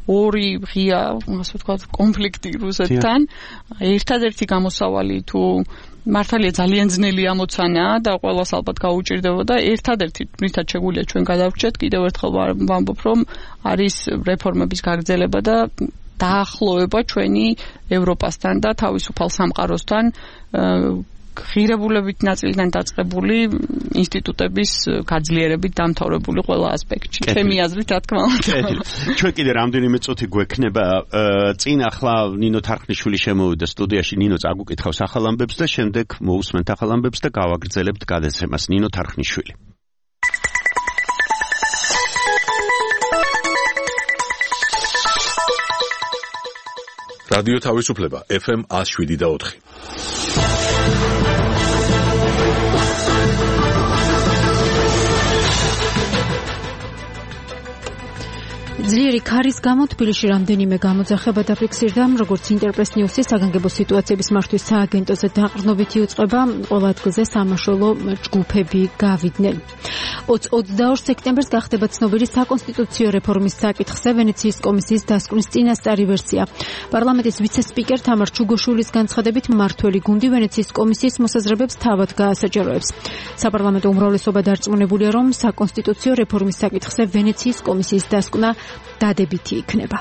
ორი ღია, ასე ვთქვათ, კონფლიქტი რუსეთთან, ერთადერთი გამოსავალი თუ მართალია ძალიან ძნელი ამოცანა და ყველას ალბათ გაუჭირდებოდა, ერთადერთი მისთან შეგვიძლია ჩვენ გადავრჩეთ, კიდევ ერთხელ ვამბობ, რომ არის რეფორმების გაგრძელება და დაახლოება ჩვენი ევროპასთან და თავისუფალ სამყაროსთან ღირებულებით ნაწილიდან დაწყებული ინსტიტუტების გაძლიერებით დამთავრებული ყველა ასპექტში. ჩემი აზრით, რა თქმა უნდა. ჩვენ კიდე რამდენიმე წუთი გვექნება. წინ ახლა ნინო თარხნიშვილი შემოვიდა სტუდიაში, ნინო წაგუკითხავს ახალ ამბებს და შემდეგ მოусმენთ ახალ ამბებს და გავაგრძელებთ გადაცემას. ნინო თარხნიშვილი. რადიო თავისუფლება FM 107.4. ძლიერი ქარის გამო თბილისში რამდენიმე გამოძახება დაფიქსირდა, როგორც ინტერპრეს ნიუსის საგანგებო სიტუაციების მართვის სააგენტოზე დაყრდნობითი უწყება, ყველა ადგილზე სამაშველო ჯგუფები გავიდნენ. 22 სექტემბერს გახდება ცნობილი საკონსტიტუციო რეფორმის საკითხზე ვენეციის კომისიის დასკვნის წინასწარი ვერსია. პარლამენტის ვიცე-სპიკერ თამარ ჩუგოშვილის განცხადებით, მმართველი გუნდი ვენეციის კომისიის მოსაზრებებს თავად გაასაჯაროებს. საპარლამენტო უმრავლესობა დარწმუნებულია, რომ საკონსტიტუციო რეფორმის საკითხზე ვენეციის კომისიის დასკვნა დადებითი იქნება.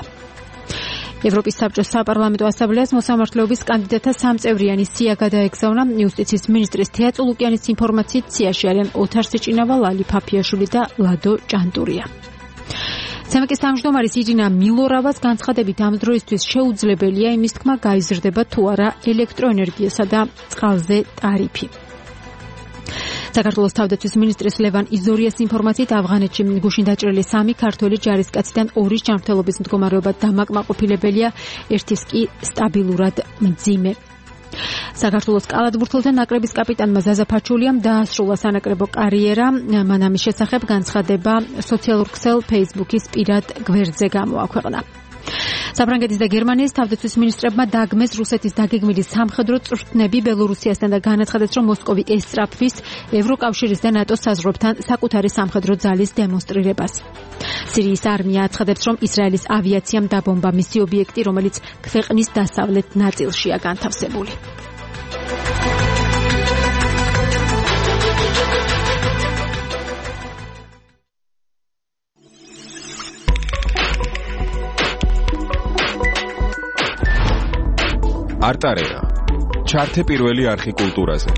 ევროპის საბჭოს საპარლამენტო ასამბლეას მოსამართლეობის კანდიდატთა სამწევრიანი სია გადაეგზავნა. იუსტიციის მინისტრის თეა წულუკიანის ინფორმაციით, სიაში არიან ოთარ სიჭინავა, ლალი ფაფიაშვილი და ლადო ჭანტურია. სემეკის თავმჯდომარის ირინა მილორავას განცხადებით, ამ დროისთვის შეუძლებელია იმის თქმა, გაიზრდება თუ არა ელექტროენერგიასა და წყალზე ტარიფი. საქართველოს თავდაცვის მინისტრის ლევან იზორიას ინფორმაციით, ავღანეთში გუშინ დაჭრილი 3 ქართველი ჯარისკაციდან 2-ის ჯანმრთელობის მდგომარეობა დამაკმაყოფილებელია, ერთის კი სტაბილურად მძიმე. საქართველოს კალათბურთელთა ნაკრების კაპიტანმა ზაზა ფაჩულიამ დაასრულა სანაკრებო კარიერა. მან ამის შესახებ განცხადება სოციალურ ქსელ Facebook-ის პირად გვერდზე გამოაქვეყნა. საფრანგეთის და გერმანიის თავდაცვის მინისტრებმა დაგმეს რუსეთის დაგეგმილი სამხედრო წვრთნები ბელორუსიასთან და განაცხადეს, რომ მოსკოვი ესწრაფვის ევროკავშირის და ნატოს საზღვრებთან საკუთარი სამხედრო ძალის დემონსტრირებას. სირიის არმია აცხადებს, რომ ისრაელის ავიაციამ დაბომბა მისი ობიექტი, რომელიც ქვეყნის დასავლეთ ნაწილშია განთავსებული. არტარეა. ჩართე პირველი არხი კულტურაზე.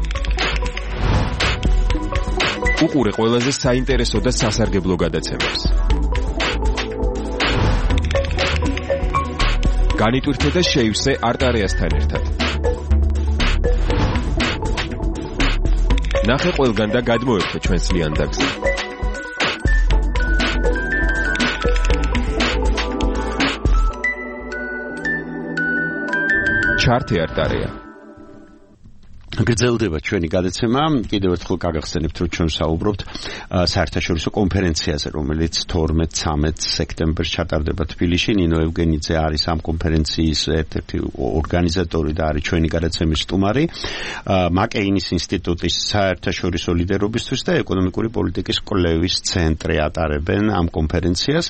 უყურე ყველაზე საინტერესო და სასარგებლო გადაცემებს. განიტვირთე და შეივსე არტარეასთან ერთად. ნახე ყველგან და გადმოერთე ჩვენს ლიანდაგზე. ჩართე არტარეა. გრძელდება ჩვენი გადაცემა. კიდევ ერთხელ გაგახსენებთ, რომ ჩვენ საუბრობთ საერთაშორისო კონფერენციაზე, რომელიც 12-13 სექტემბერს ჩატარდება თბილისში. ნინო ევგენიძე არის ამ კონფერენციის ერთ-ერთი ორგანიზატორი და არის ჩვენი გადაცემის სტუმარი. მაკეინის ინსტიტუტის საერთაშორისო ლიდერობისთვის და ეკონომიკური პოლიტიკის კვლევის ცენტრი ატარებენ ამ კონფერენციას.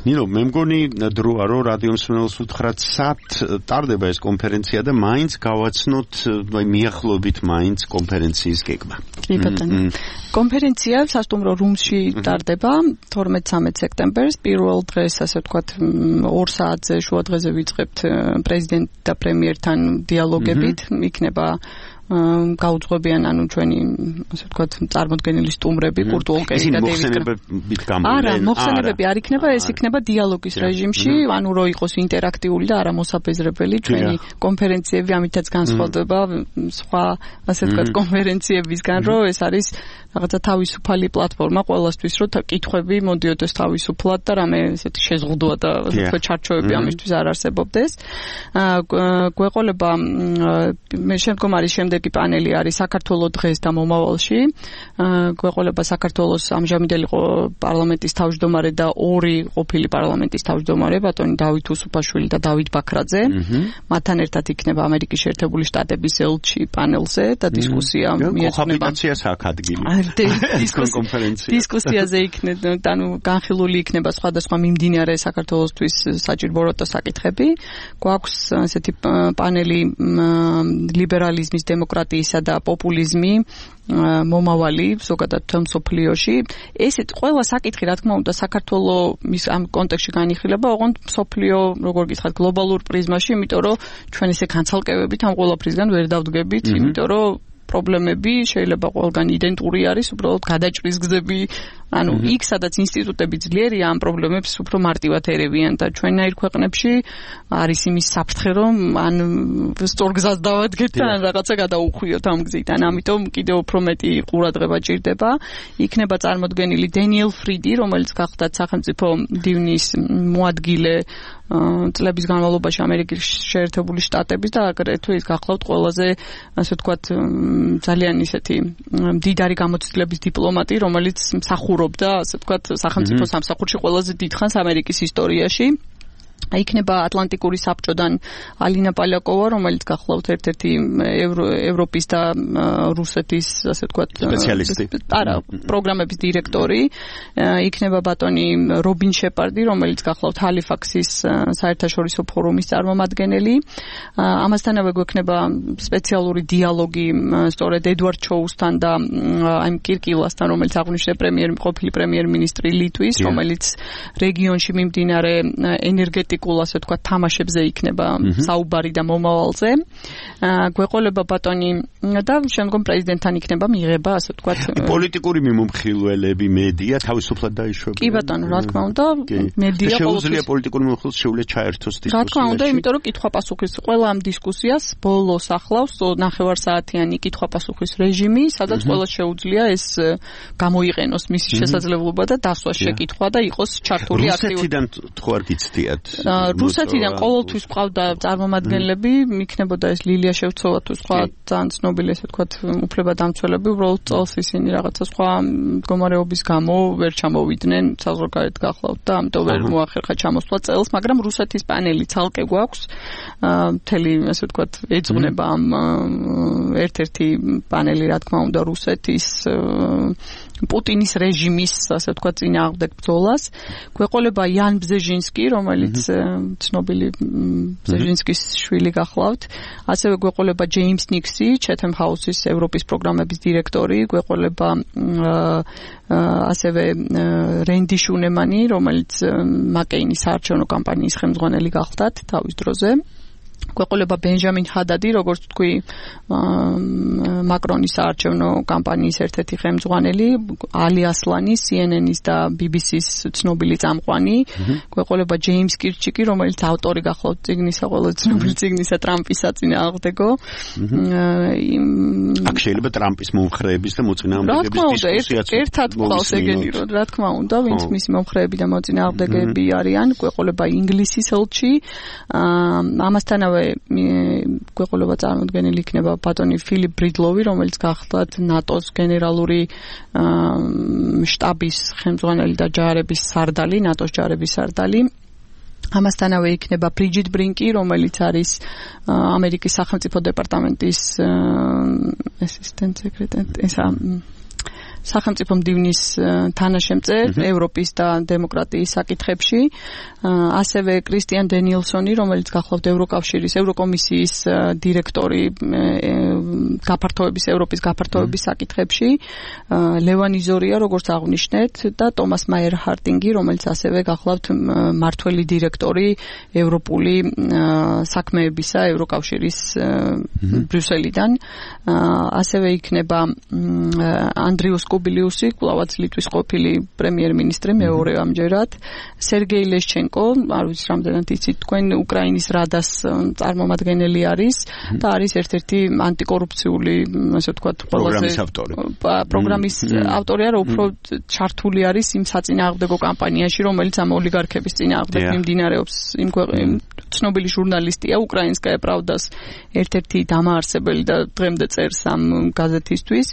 ნინო, მე მგონი დროა, რომ რადიო მსმენელს უთხრათ, სად ტარდება ეს კონფერენცია და მაინც გავაცნოთ მიახლო მაინც კონფერენციის გეგმა. კი ბატონო. კონფერენცია სასტუმრო რუმსში ტარდება 12-13 სექტემბერს. პირველ დღეს, ასე ვთქვათ, 2 საათზე შუა დღეზე ვიწყებთ პრეზიდენტ და პრემიერთან დიალოგებით. იქნება გაუძღვებიან ანუ ჩვენი ასე ვთქვათ წარმოდგენილი სტუმრები კურტ ვოლკერი და დეივიდ კამერონი. არა, მოხსენებები არ იქნება, ეს იქნება დიალოგის რეჟიმში, ანუ რო იყოს ინტერაქტიული და არა მოსაფეზრებელი ჩვენი კონფერენციები, ამითაც განსხვავდება სხვა ასე ვთქვათ კონფერენციებისგან, რომ ეს არის რაღაცა თავისუფალი პლატფორმა ყველასთვის, რომ კითხვები მოდიოდეს თავისუფლად და რამე ესეთი შეზღუდვა და ასე ვთქვათ ჩარჩოები ამისთვის არ არსებობდეს. გვეყოლება მე შემდგომ არის შემდეგი პანელი არის საქართველოს დღეს და მომავალში. გვეყოლება საქართველოს ამჟამინდელი პარლამენტის თავმჯდომარე და 2 ყოფილი პარლამენტის თავმჯდომარე, ბატონი დავით უსუფაშვილი და დავით ბაქრაძე. მათთან ერთად იქნება ამერიკის შეერთებული შტატების ელჩი პანელზე და დისკუსია მიეძღვნება. დისკუსიაზე იქნება, ანუ განხილული იქნება სხვადასხვა მიმდინარე საქართველოსთვის საჭიროებო საკითხები. გვაქვს ესეთი პანელი ლიბერალიზმის, დემოკრატიისა და პოპულიზმი მომავალი ზოგადად მსოფლიოში. ესეთ ყველა საკითხი, რა თქმა უნდა, საქართველოს ამ კონტექსტში განიხილება, ოღონდ მსოფლიო, როგორ გითხრათ, გლობალურ პრიზმაში, იმიტომ რომ ჩვენ ესე განცალკევებით ამ ყველაფრისგან ვერ დავდგებით, იმიტომ რომ პრობლემები შეიძლება ყველგან იდენტური არის, უბრალოდ გადაჭრის გზები, ანუ იქ სადაც ინსტიტუტები ძლიერია ამ პრობლემებს უფრო მარტივად ერევიან და ჩვენნაირ ქვეყნებში არის იმის საფრთხე, რომ ან სწორ გზას დავადგეთ და ან რაღაცა გადაუხვიოთ ამ გზიდან. ამიტომ კიდევ უფრო მეტი ყურადღება ჭირდება. იქნება წარმოდგენილი დენიელ ფრიდი, რომელიც გახდათ სახელმწიფო დივნის მოადგილე წლების განმავლობაში ამერიკის შეერთებული შტატების და აგრეთვე ის გახლავთ ყველაზე ასე ვთქვათ ძალიან ისეთი მდიდარი გამოცდილების დიპლომატი, რომელიც მსახურობდა ასე ვთქვათ სახელმწიფო სამსახურში ყველაზე დიდხანს ამერიკის ისტორიაში. იქნება ატლანტიკური საბჭოდან ალინა პალიაკოვა, რომელიც გახლავთ ერთ-ერთი ევროპის და რუსეთის ასე ვთქვათ სპეციალისტი. არა, პროგრამების დირექტორი. იქნება ბატონი რობინ შეპარდი, რომელიც გახლავთ ჰალიფაქსის საერთაშორისო ფორუმის წარმომადგენელი. ამასთანავე გვექნება სპეციალური დიალოგი სწორედ ედვარდ ჩოუსთან და აი კირკილასთან, რომელიც აღნიშნე ყოფილი პრემიერ-მინისტრი ლიტვის, რომელიც რეგიონში მიმდინარე ენერგეტიკულ ასე ვთქვათ თამაშებზე იქნება საუბარი და მომავალზე. გვეყოლება ბატონი და შემდგომ პრეზიდენტთან იქნება მიღება ასე ვთქვათ პოლიტიკური მიმოხილველები, მედია თავისუფლად დაიშვებიან. კი ბატონო, რა თქმა უნდა, მედია შეუძლია პოლიტიკური მიმოხილველი შეუძლია ჩაერთოს დისკუსიაში. რა თქმა უნდა, იმიტომ რომ კითხვა-პასუხის ყველა ამ დისკუსიას ბოლოს ახლავს 9 საათიანი კითხვა-პასუხის რეჟიმი, სადაც ყველა შეუძლია ეს გამოიყენოს მისი შესაძლებლობა და დასვას შეკითხვა და იყოს ჩართული აქტიური. რუსეთიდან თუ არ გიცდიათ რუსეთიდან ყოველთვის ყავდა წარმომადგენლები, იქნებოდა ეს ლილია შევცოვა თუ სხვა ძალიან ცნობილი ესე ვთქვათ უფლებადამცველები, უბრალოდ წელს ისინი რაღაცა სხვა მდგომარეობის გამო ვერ ჩამოვიდნენ საზღვარგარეთ გახლავთ და ამიტომ ვერ მოახერხა ჩამოსვლა წელს, მაგრამ რუსეთის პანელი ცალკე გვაქვს, მთელი ესე ვთქვათ ეძღვნება ამ ერთ-ერთი პანელი რა თქმა უნდა რუსეთის პუტინის რეჟიმის, ასე ვთქვათ, წინააღმდეგ ბრძოლას. გვეყოლება იან ბზეჟინსკი, რომელიც ცნობილი ბზეჟინსკის შვილი გახლავთ. ასევე გვეყოლება ჯეიმს ნიქსი, ჩეთემ ჰაუსის ევროპის პროგრამების დირექტორი, გვეყოლება ასევე რენდი შუნემანი, რომელიც მაკეინის საარჩევნო კამპანიის ხელმძღვანელი გახლდათ თავის დროზე. გვეყოლება ბენჟამინ ჰადადი, როგორც თქვი, მაკრონის საარჩევნო კამპანიის ერთ-ერთი ხელმძღვანელი, ალი ასლანი, CNN-ის და BBC-ის ცნობილი წამყვანი. გვეყოლება ჯეიმს კირჩიკი, რომელიც ავტორი გახლავთ წიგნისა, ყველა ცნობილი წიგნისა ტრამპის საწინააღმდეგო. აქ შეიძლება ტრამპის მომხრეების და მოწინააღმდეგეების დისკუსიაც ერთად ყავს ეგენი, რა თქმა უნდა, ვინც მისი მომხრეები და მოწინააღმდეგეები არიან. გვეყოლება ინგლისის ელჩი, ამასთანავე გვეყოლება წარმოდგენილი იქნება ბატონი ფილიპ ბრიდლოვი, რომელიც გახლავთ ნატოს გენერალური შტაბის ხელმძღვანელი და ჯარების სარდალი, ნატოს ჯარების სარდალი. ამასთანავე იქნება ბრიჯიტ ბრინკი, რომელიც არის ამერიკის სახელმწიფო დეპარტამენტის ასისტენტ სეკრეტარი, სახელმწიფო მდივნის თანაშემწე ევროპის და დემოკრატიის საკითხებში. ასევე კრისტიან დენიელსონი, რომელიც გახლავთ ევროკავშირის, ევროკომისიის დირექტორი ევროპის გაფართოების საკითხებში. ლევან იზორია, როგორც აღნიშნეთ, და ტომას მაიერ ჰარტინგი, რომელიც ასევე გახლავთ მმართველი დირექტორი ევროპული საქმეებისა ევროკავშირის ბრიუსელიდან. ასევე იქნება ანდრიუს კუბილიუსი, კვლავაც ლიტვის ყოფილი პრემიერ-მინისტრი, მეორე ამჯერად, სერგეი ლეშჩენკო, არ ვიცი რამდენად იცით თქვენ, უკრაინის რადას წარმომადგენელი არის და არის ერთ-ერთი ანტიკორუფციული, ასე ვთქვათ, პროგრამის ავტორი. პროგრამის ავტორი არა, უფრო ჩართული არის იმ საწინააღმდეგო კამპანიაში, რომელიც ამ ოლიგარქების წინააღმდეგ მიმდინარეობს. ცნობილი ჟურნალისტია, უკრაინსკაია პრავდას ერთ-ერთი დამაარსებელი და დღემდე წერს ამ გაზეთისთვის.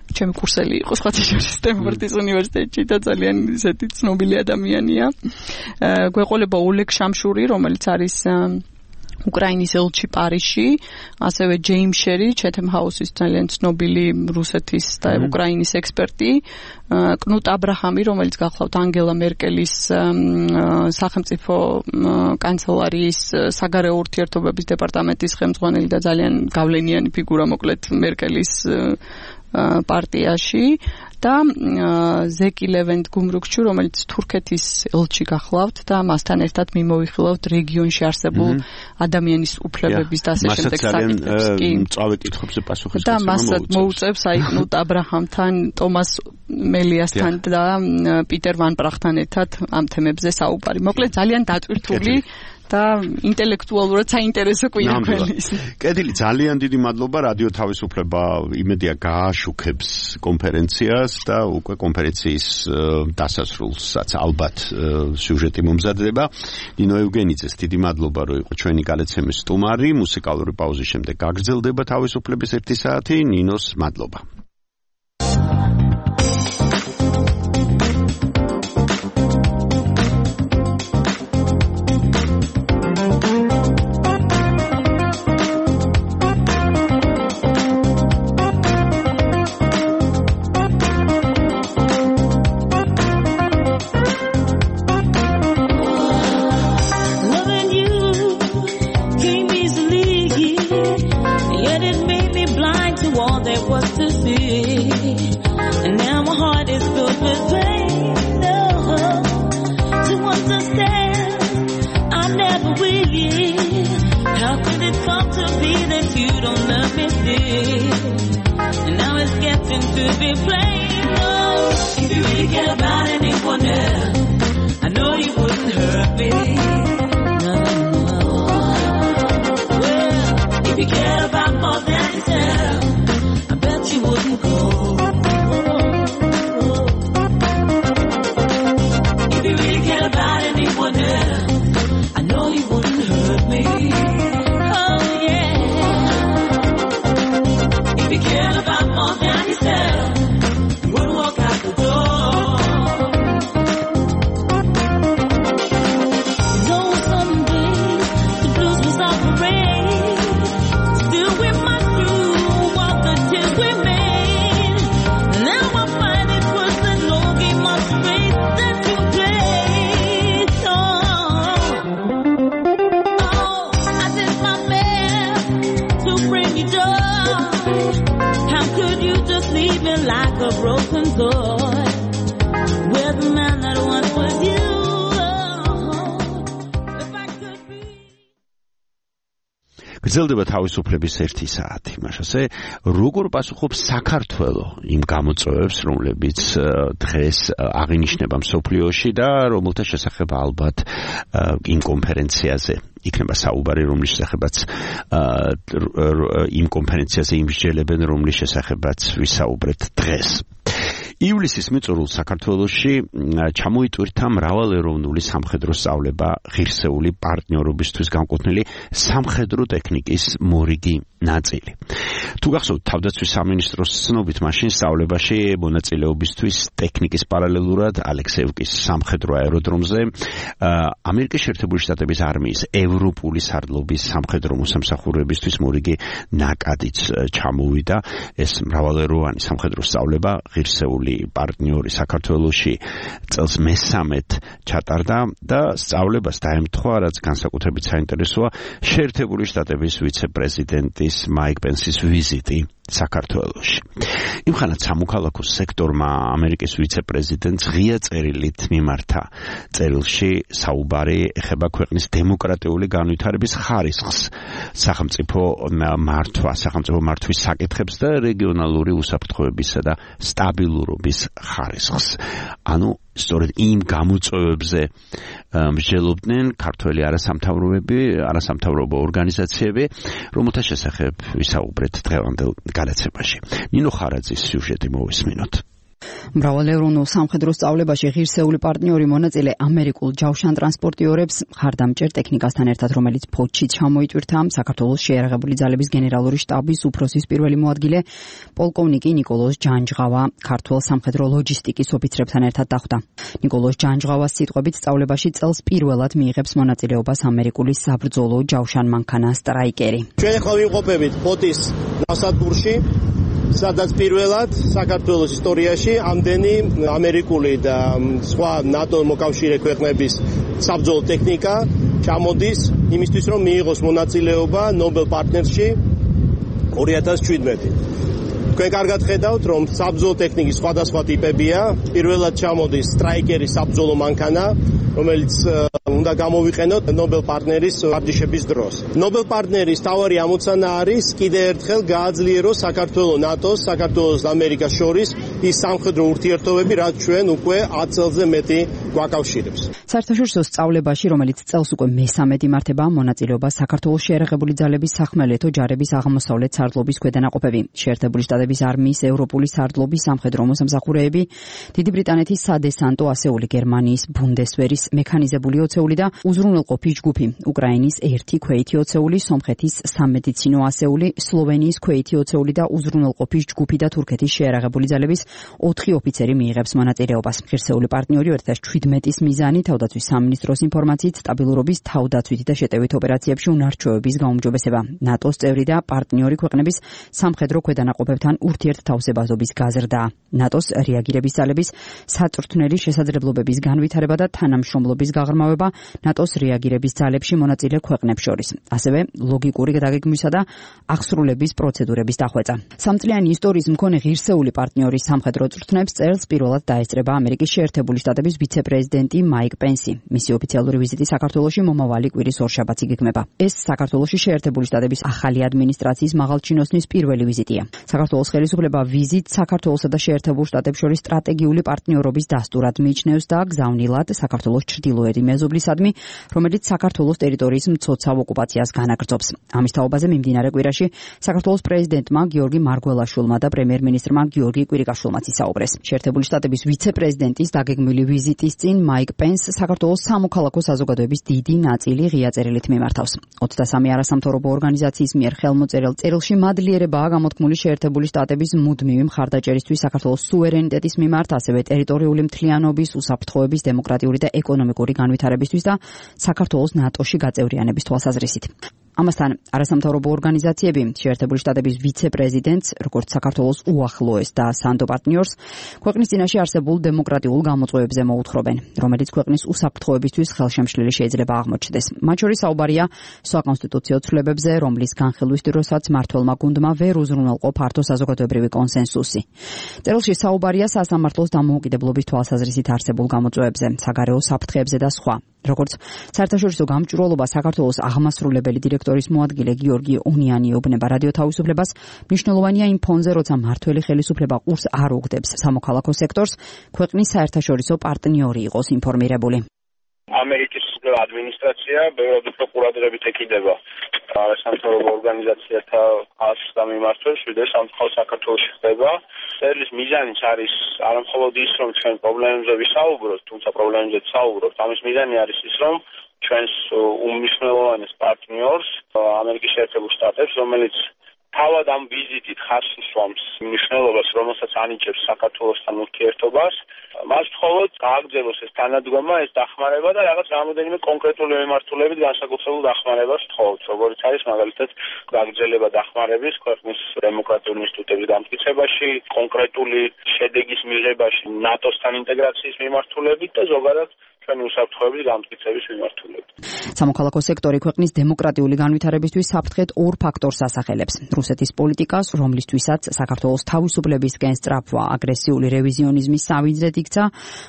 ჩემი კურსელი იყო სხვათა შორის სტენფორდის უნივერსიტეტში და ძალიან ისეთი ცნობილი ადამიანია. გვეყოლება ოლეგ შამშური, რომელიც არის უკრაინის ელჩი პარიზში, ასევე ჯეიმ შერი, ჩეთემ ჰაუსის ძალიან ცნობილი რუსეთის და უკრაინის ექსპერტი, კნუტ აბრაჰამი, რომელიც გახლავთ ანგელა მერკელის სახელმწიფო კანცელარიის საგარეო ურთიერთობების დეპარტამენტის ხელმძღვანელი და ძალიან გავლენიანი ფიგურა მოკლედ მერკელის პარტიაში და ზეკი ლევენთ გუმრუქჩუ, რომელიც თურქეთის ელჩი გახლავთ და მასთან ერთად მიმოვიხილავთ რეგიონში არსებულ ადამიანის უფლებების და ასე შემდეგ საკითხებს. კი, მწვავე კითხვებზე პასუხის და მასაც მოუწევს კნუტ აბრაჰამთან, ტომას მელიასთან და პიტერ ვან პრახთან ერთად ამ თემებზე საუბარი. მოკლედ ძალიან დატვირთული და ინტელექტუალურად საინტერესო კვირა ქვეყნის. კედილი, ძალიან დიდი მადლობა. რადიო თავისუფლება იმედია გააშუქებს კონფერენციას და უკვე კონფერენციის დასასრულსაც ალბათ სიუჟეტი მომზადდება. ნინო ევგენიძეს დიდი მადლობა, რომ იყო ჩვენი გადაცემის სტუმარი. მუსიკალური პაუზის შემდეგ გაგრძელდება თავისუფლების 1 საათი. ნინოს მადლობა. I know broken toy with the man that once was you. გრძელდება თავისუფლების 1 საათი. მაშასე როგორ პასუხობს საქართველო იმ გამოწვევებს, რომლებიც დღეს აღინიშნება მსოფლიოში და რომელთა შესახებ ალბათ იმ კონფერენციაზე იქნება საუბარი, რომლის შესახებაც იმ კონფერენციაზე იმსჯელებენ, რომლის შესახებაც ვისაუბრეთ დღეს. ივლისის მიწურულს საქართველოში ჩამოიტვირთა მრავალეროვნული სამხედრო სწავლება ღირსეული პარტნიორობისთვის განკუთვნილი სამხედრო ტექნიკის მორიგი ნაწილი. თუ გახსოვთ, თავდაცვის სამინისტროს ცნობით მაშინ სწავლებაში მონაწილეობისთვის ტექნიკის პარალელურად ალექსეევკის სამხედრო აეროდრომზე ამერიკის შეერთებული შტატების არმიის ევროპული სარდლობის სამხედრო მოსამსახურეებისთვის მორიგი ნაკადიც ჩამოვიდა. ეს მრავალეროვანი სამხედრო სწავლება ღირსეული პარტნიორი საქართველოში წელს მე-13 ჩატარდა და სწავლებას დაემთხვა, რაც განსაკუთრებით საინტერესოა შეერთებული შტატების ვიცე-პრეზიდენტის მაიკ პენსის ვიზიტი საქართველოში. იმხანად სამოქალაქო სექტორმა ამერიკის ვიცე-პრეზიდენტს ღია წერილით მიმართა. წერილში საუბარი ეხება ქვეყნის დემოკრატიული განვითარების ხარისხს, სახელმწიფო მართვის საკითხებს და რეგიონალური უსაფრთხოებისა და სტაბილურობის ხარისხს. ანუ სწორედ იმ გამოწვევებზე მსჯელობდნენ ქართველი არასამთავრობო ორგანიზაციები, რომელთა შესახებ ვისაუბრეთ დღევანდელ გადაცემაში. ნინო ხარაძის სიუჟეტი მოვისმინოთ. მრავალევროვნულ სამხედრო სწავლებაში ღირსეული პარტნიორი მონაწილე ამერიკულ ჯავშან ტრანსპორტიორებს ხარდამჭერ ტექნიკასთან ერთად, რომელიც ფოთში ჩამოიტვირთა, საქართველოს შეიარაღებული ძალების გენერალური შტაბის უფროსის პირველი მოადგილე პოლკოვნიკი ნიკოლოზ ჯანჯღავა ქართულ სამხედრო ლოჯისტიკის ოფიცრებთან ერთად დახვდა. ნიკოლოზ ჯანჯღავას სიტყვებით სწავლებაში წელს პირველად მიიღებს მონაწილეობას ამერიკული საბრძოლო ჯავშან მანქანა სტრაიკერი. ჩვენ ახლა ვიმყოფებით ფოთის ნავსადგურში, სადაც პირველად საქართველოს ისტორიაში ამდენი ამერიკული და სხვა ნატო მოკავშირე ქვეყნების საბრძოლო ტექნიკა ჩამოდის იმისთვის, რომ მიიღოს მონაწილეობა ნობელ პარტნერსში 2017. თქვენ კარგად ხედავთ, რომ საბრძოლო ტექნიკის სხვადასხვა ტიპებია. პირველად ჩამოდის სტრაიკერის საბრძოლო მანქანა, რომელიც უნდა გამოვიყენოთ ნობელ პარტნერის ვარჯიშების დროს. ნობელ პარტნერის თავარი ამოცანა არის კიდევ ერთხელ გააძლიეროს საქართველოს ნატოს, საქართველოს და ამერიკას შორის ის სამხედრო ურთიერთობები, რაც ჩვენ უკვე 10 წელზე მეტი გვაკავშირებს. საერთაშორისო სწავლებაში, რომელიც წელს უკვე მე-13 იმართება, მონაწილეობა საქართველოს შეიარაღებული ძალების სახმელეთო ჯარების აღმოსავლეთ სარდლობის ქვედანაყოფები, შეერთებული შტატების არმიის ევროპული სარდლობის სამხედრო მოსამსახურეები, დიდი ბრიტანეთის სადესანტო ასეული, გერმანიის ბუნდესვერის მექანიზებული ოცეული და უზრუნველყოფის ჯგუფი, უკრაინის 1 ქვეითი ოცეული, სომხეთის სამედიცინო ასეული, სლოვენიის ქვეითი ოცეული და უზრუნველყოფის ჯგუფი და თურქეთის შეიარაღებული ძალების 4 ოფიცერი მიიღებს მონაწილეობას. ღირსეული პარტნიორი 2017-ის მიზანი თავდაცვის სამინისტროს ინფორმაციით სტაბილურობის, თავდაცვითი და შეტევით ოპერაციებში უნარჩვევების გაუმჯობესება, ნატოს წევრი და პარტნიორი ქვეყნების სამხედრო ქვედანაყოფებთან ურთიერთთავსებაზობის გაზრდა, ნატოს რეაგირების ძალების საწვრთნელი შესაძლებლობების განვითარება და თანამშრომლობის გაღრმავება ნატოს რეაგირების ძალებში მონაწილე ქვეყნებს შორის, ასევე ლოგიკური დაგეგმვისა და აღსრულების პროცედურების დახვეწა. სამწლიანი ისტორიის მქონე ღირსეული პარტნიორის სამხედრო წვრთნებს წელს პირველად დაესწრება ამერიკის შეერთებული შტატების ვიცე-პრეზიდენტი მაიკ პენსი. მისი ოფიციალური ვიზიტი საქართველოში მომავალი კვირის ორშაბათს იგეგმება. ეს საქართველოში შეერთებული შტატების ახალი ადმინისტრაციის მაღალჩინოსნის პირველი ვიზიტია. საქართველოს ხელისუფლება ვიზიტს საქართველოსა და შეერთებულ შტატებს შორის სტრატეგიული პარტნიორობის დასტურად მიიჩნევს და გზავნილად საქართველოს ჩრდილოეთი მეზობლისადმი, რომელიც საქართველოს ტერიტორიის მცოცავ ოკუპაციას განაგრძობს. ამის თაობაზე მიმდინარე კვირაში საქართველოს პრეზიდენტმა გიორგი მარგველაშვილმა და პრემიერ-მინისტრმა გიორგი კვირიკაშვილმაც ისაუბრეს. შეერთებული შტატების ვიცე-პრეზიდენტის დაგეგმილი ვიზიტის წინ მაიკ პენს საქართველოს სამოქალაქო საზოგადოების დიდი ნაწილი ღია წერილით მიმართავს. 23 არასამთავრობო ორგანიზაციის მიერ ხელმოწერილ წერილში მადლიერებაა გამოთქმული შეერთებული შტატების მუდმივი მხარდაჭერისთვის საქართველოს სუვერენიტეტის მიმართ, ასევე ტერიტორიული მთლიანობის, უსაფრთხოების, დემოკრატიული და ეკონომიკური განვითარებისთვის და საქართველოს ნატოში გაწევრიანების თვალსაზრისით. ამასთან არასამთავრობო ორგანიზაციები შეერთებული შტატების ვიცე-პრეზიდენტს, როგორც საქართველოს უახლოეს და სანდო პარტნიორს, ქვეყნის წინაშე არსებულ დემოკრატიულ გამოწვევებზე მოუთხრობენ, რომელიც ქვეყნის უსაფრთხოებისთვის ხელშემშლილი შეიძლება აღმოჩნდეს. მათ შორის საუბარია საკონსტიტუციო ცვლილებებზე, რომლის განხილვის დროსაც მმართველმა გუნდმა ვერ უზრუნველყო ფართო საზოგადოებრივი კონსენსუსი. წერილში საუბარია სასამართლოს დამოუკიდებლობის თვალსაზრისით არსებულ გამოწვევებზე, საგარეო საფრთხეებზე და სხვა. როგორც საერთაშორისო გამჭვირვალობა საქართველოს აღმასრულებელი დირექტორის მოადგილე გიორგი ონიანი უბნება რადიო თავისუფლებას, მნიშვნელოვანია იმ ფონზე, როცა მმართველი ხელისუფლება ყურს არ უგდებს სამოქალაქო სექტორს, ქვეყნის საერთაშორისო პარტნიორი იყოს ინფორმირებული. ამერიკის ადმინისტრაცია ბევრად უფრო ყურადღებით ეკიდება არასამთავრობო ორგანიზაციათა ასს და მიმართვებს, ვიდრე სამწუხაროდ საქართველოში ხდება. წერილის მიზანიც არის არამხოლოდ ის, რომ ჩვენ პრობლემებზე ვისაუბროთ, თუმცა პრობლემებზეც საუბრობთ. ამის მიზანი არის ის, რომ ჩვენს უმნიშვნელოვანეს პარტნიორს, ამერიკის შეერთებულ შტატებს, რომელიც თავად ამ ვიზიტით ხაზს უსვამს მნიშვნელობას, რომელსაც ანიჭებს საქართველოსთან ურთიერთობას, მას მხოლოდ გააგრძელოს ეს თანადგომა, ეს დახმარება და რაღაც რამოდენიმე კონკრეტული მიმართულებით განსაკუთრებულ დახმარებას ვთხოვთ, როგორც არის მაგალითად გაგრძელება დახმარების ქვეყნის დემოკრატიული ინსტიტუტების დამტკიცებაში, კონკრეტული შედეგის მიღებაში ნატოსთან ინტეგრაციის მიმართულებით და ზოგადად ჩვენი უსაფრთხოების დამტკიცების მიმართულებით. სამოქალაქო სექტორი ქვეყნის დემოკრატიული განვითარებისთვის საფრთხეთ ორ ფაქტორს ასახელებს. რუსეთის პოლიტიკას, რომლისთვისაც საქართველოს თავისუფლებისკენ სწრაფვა აგრესიული რევიზიონიზმის სავიძრედ იქცა,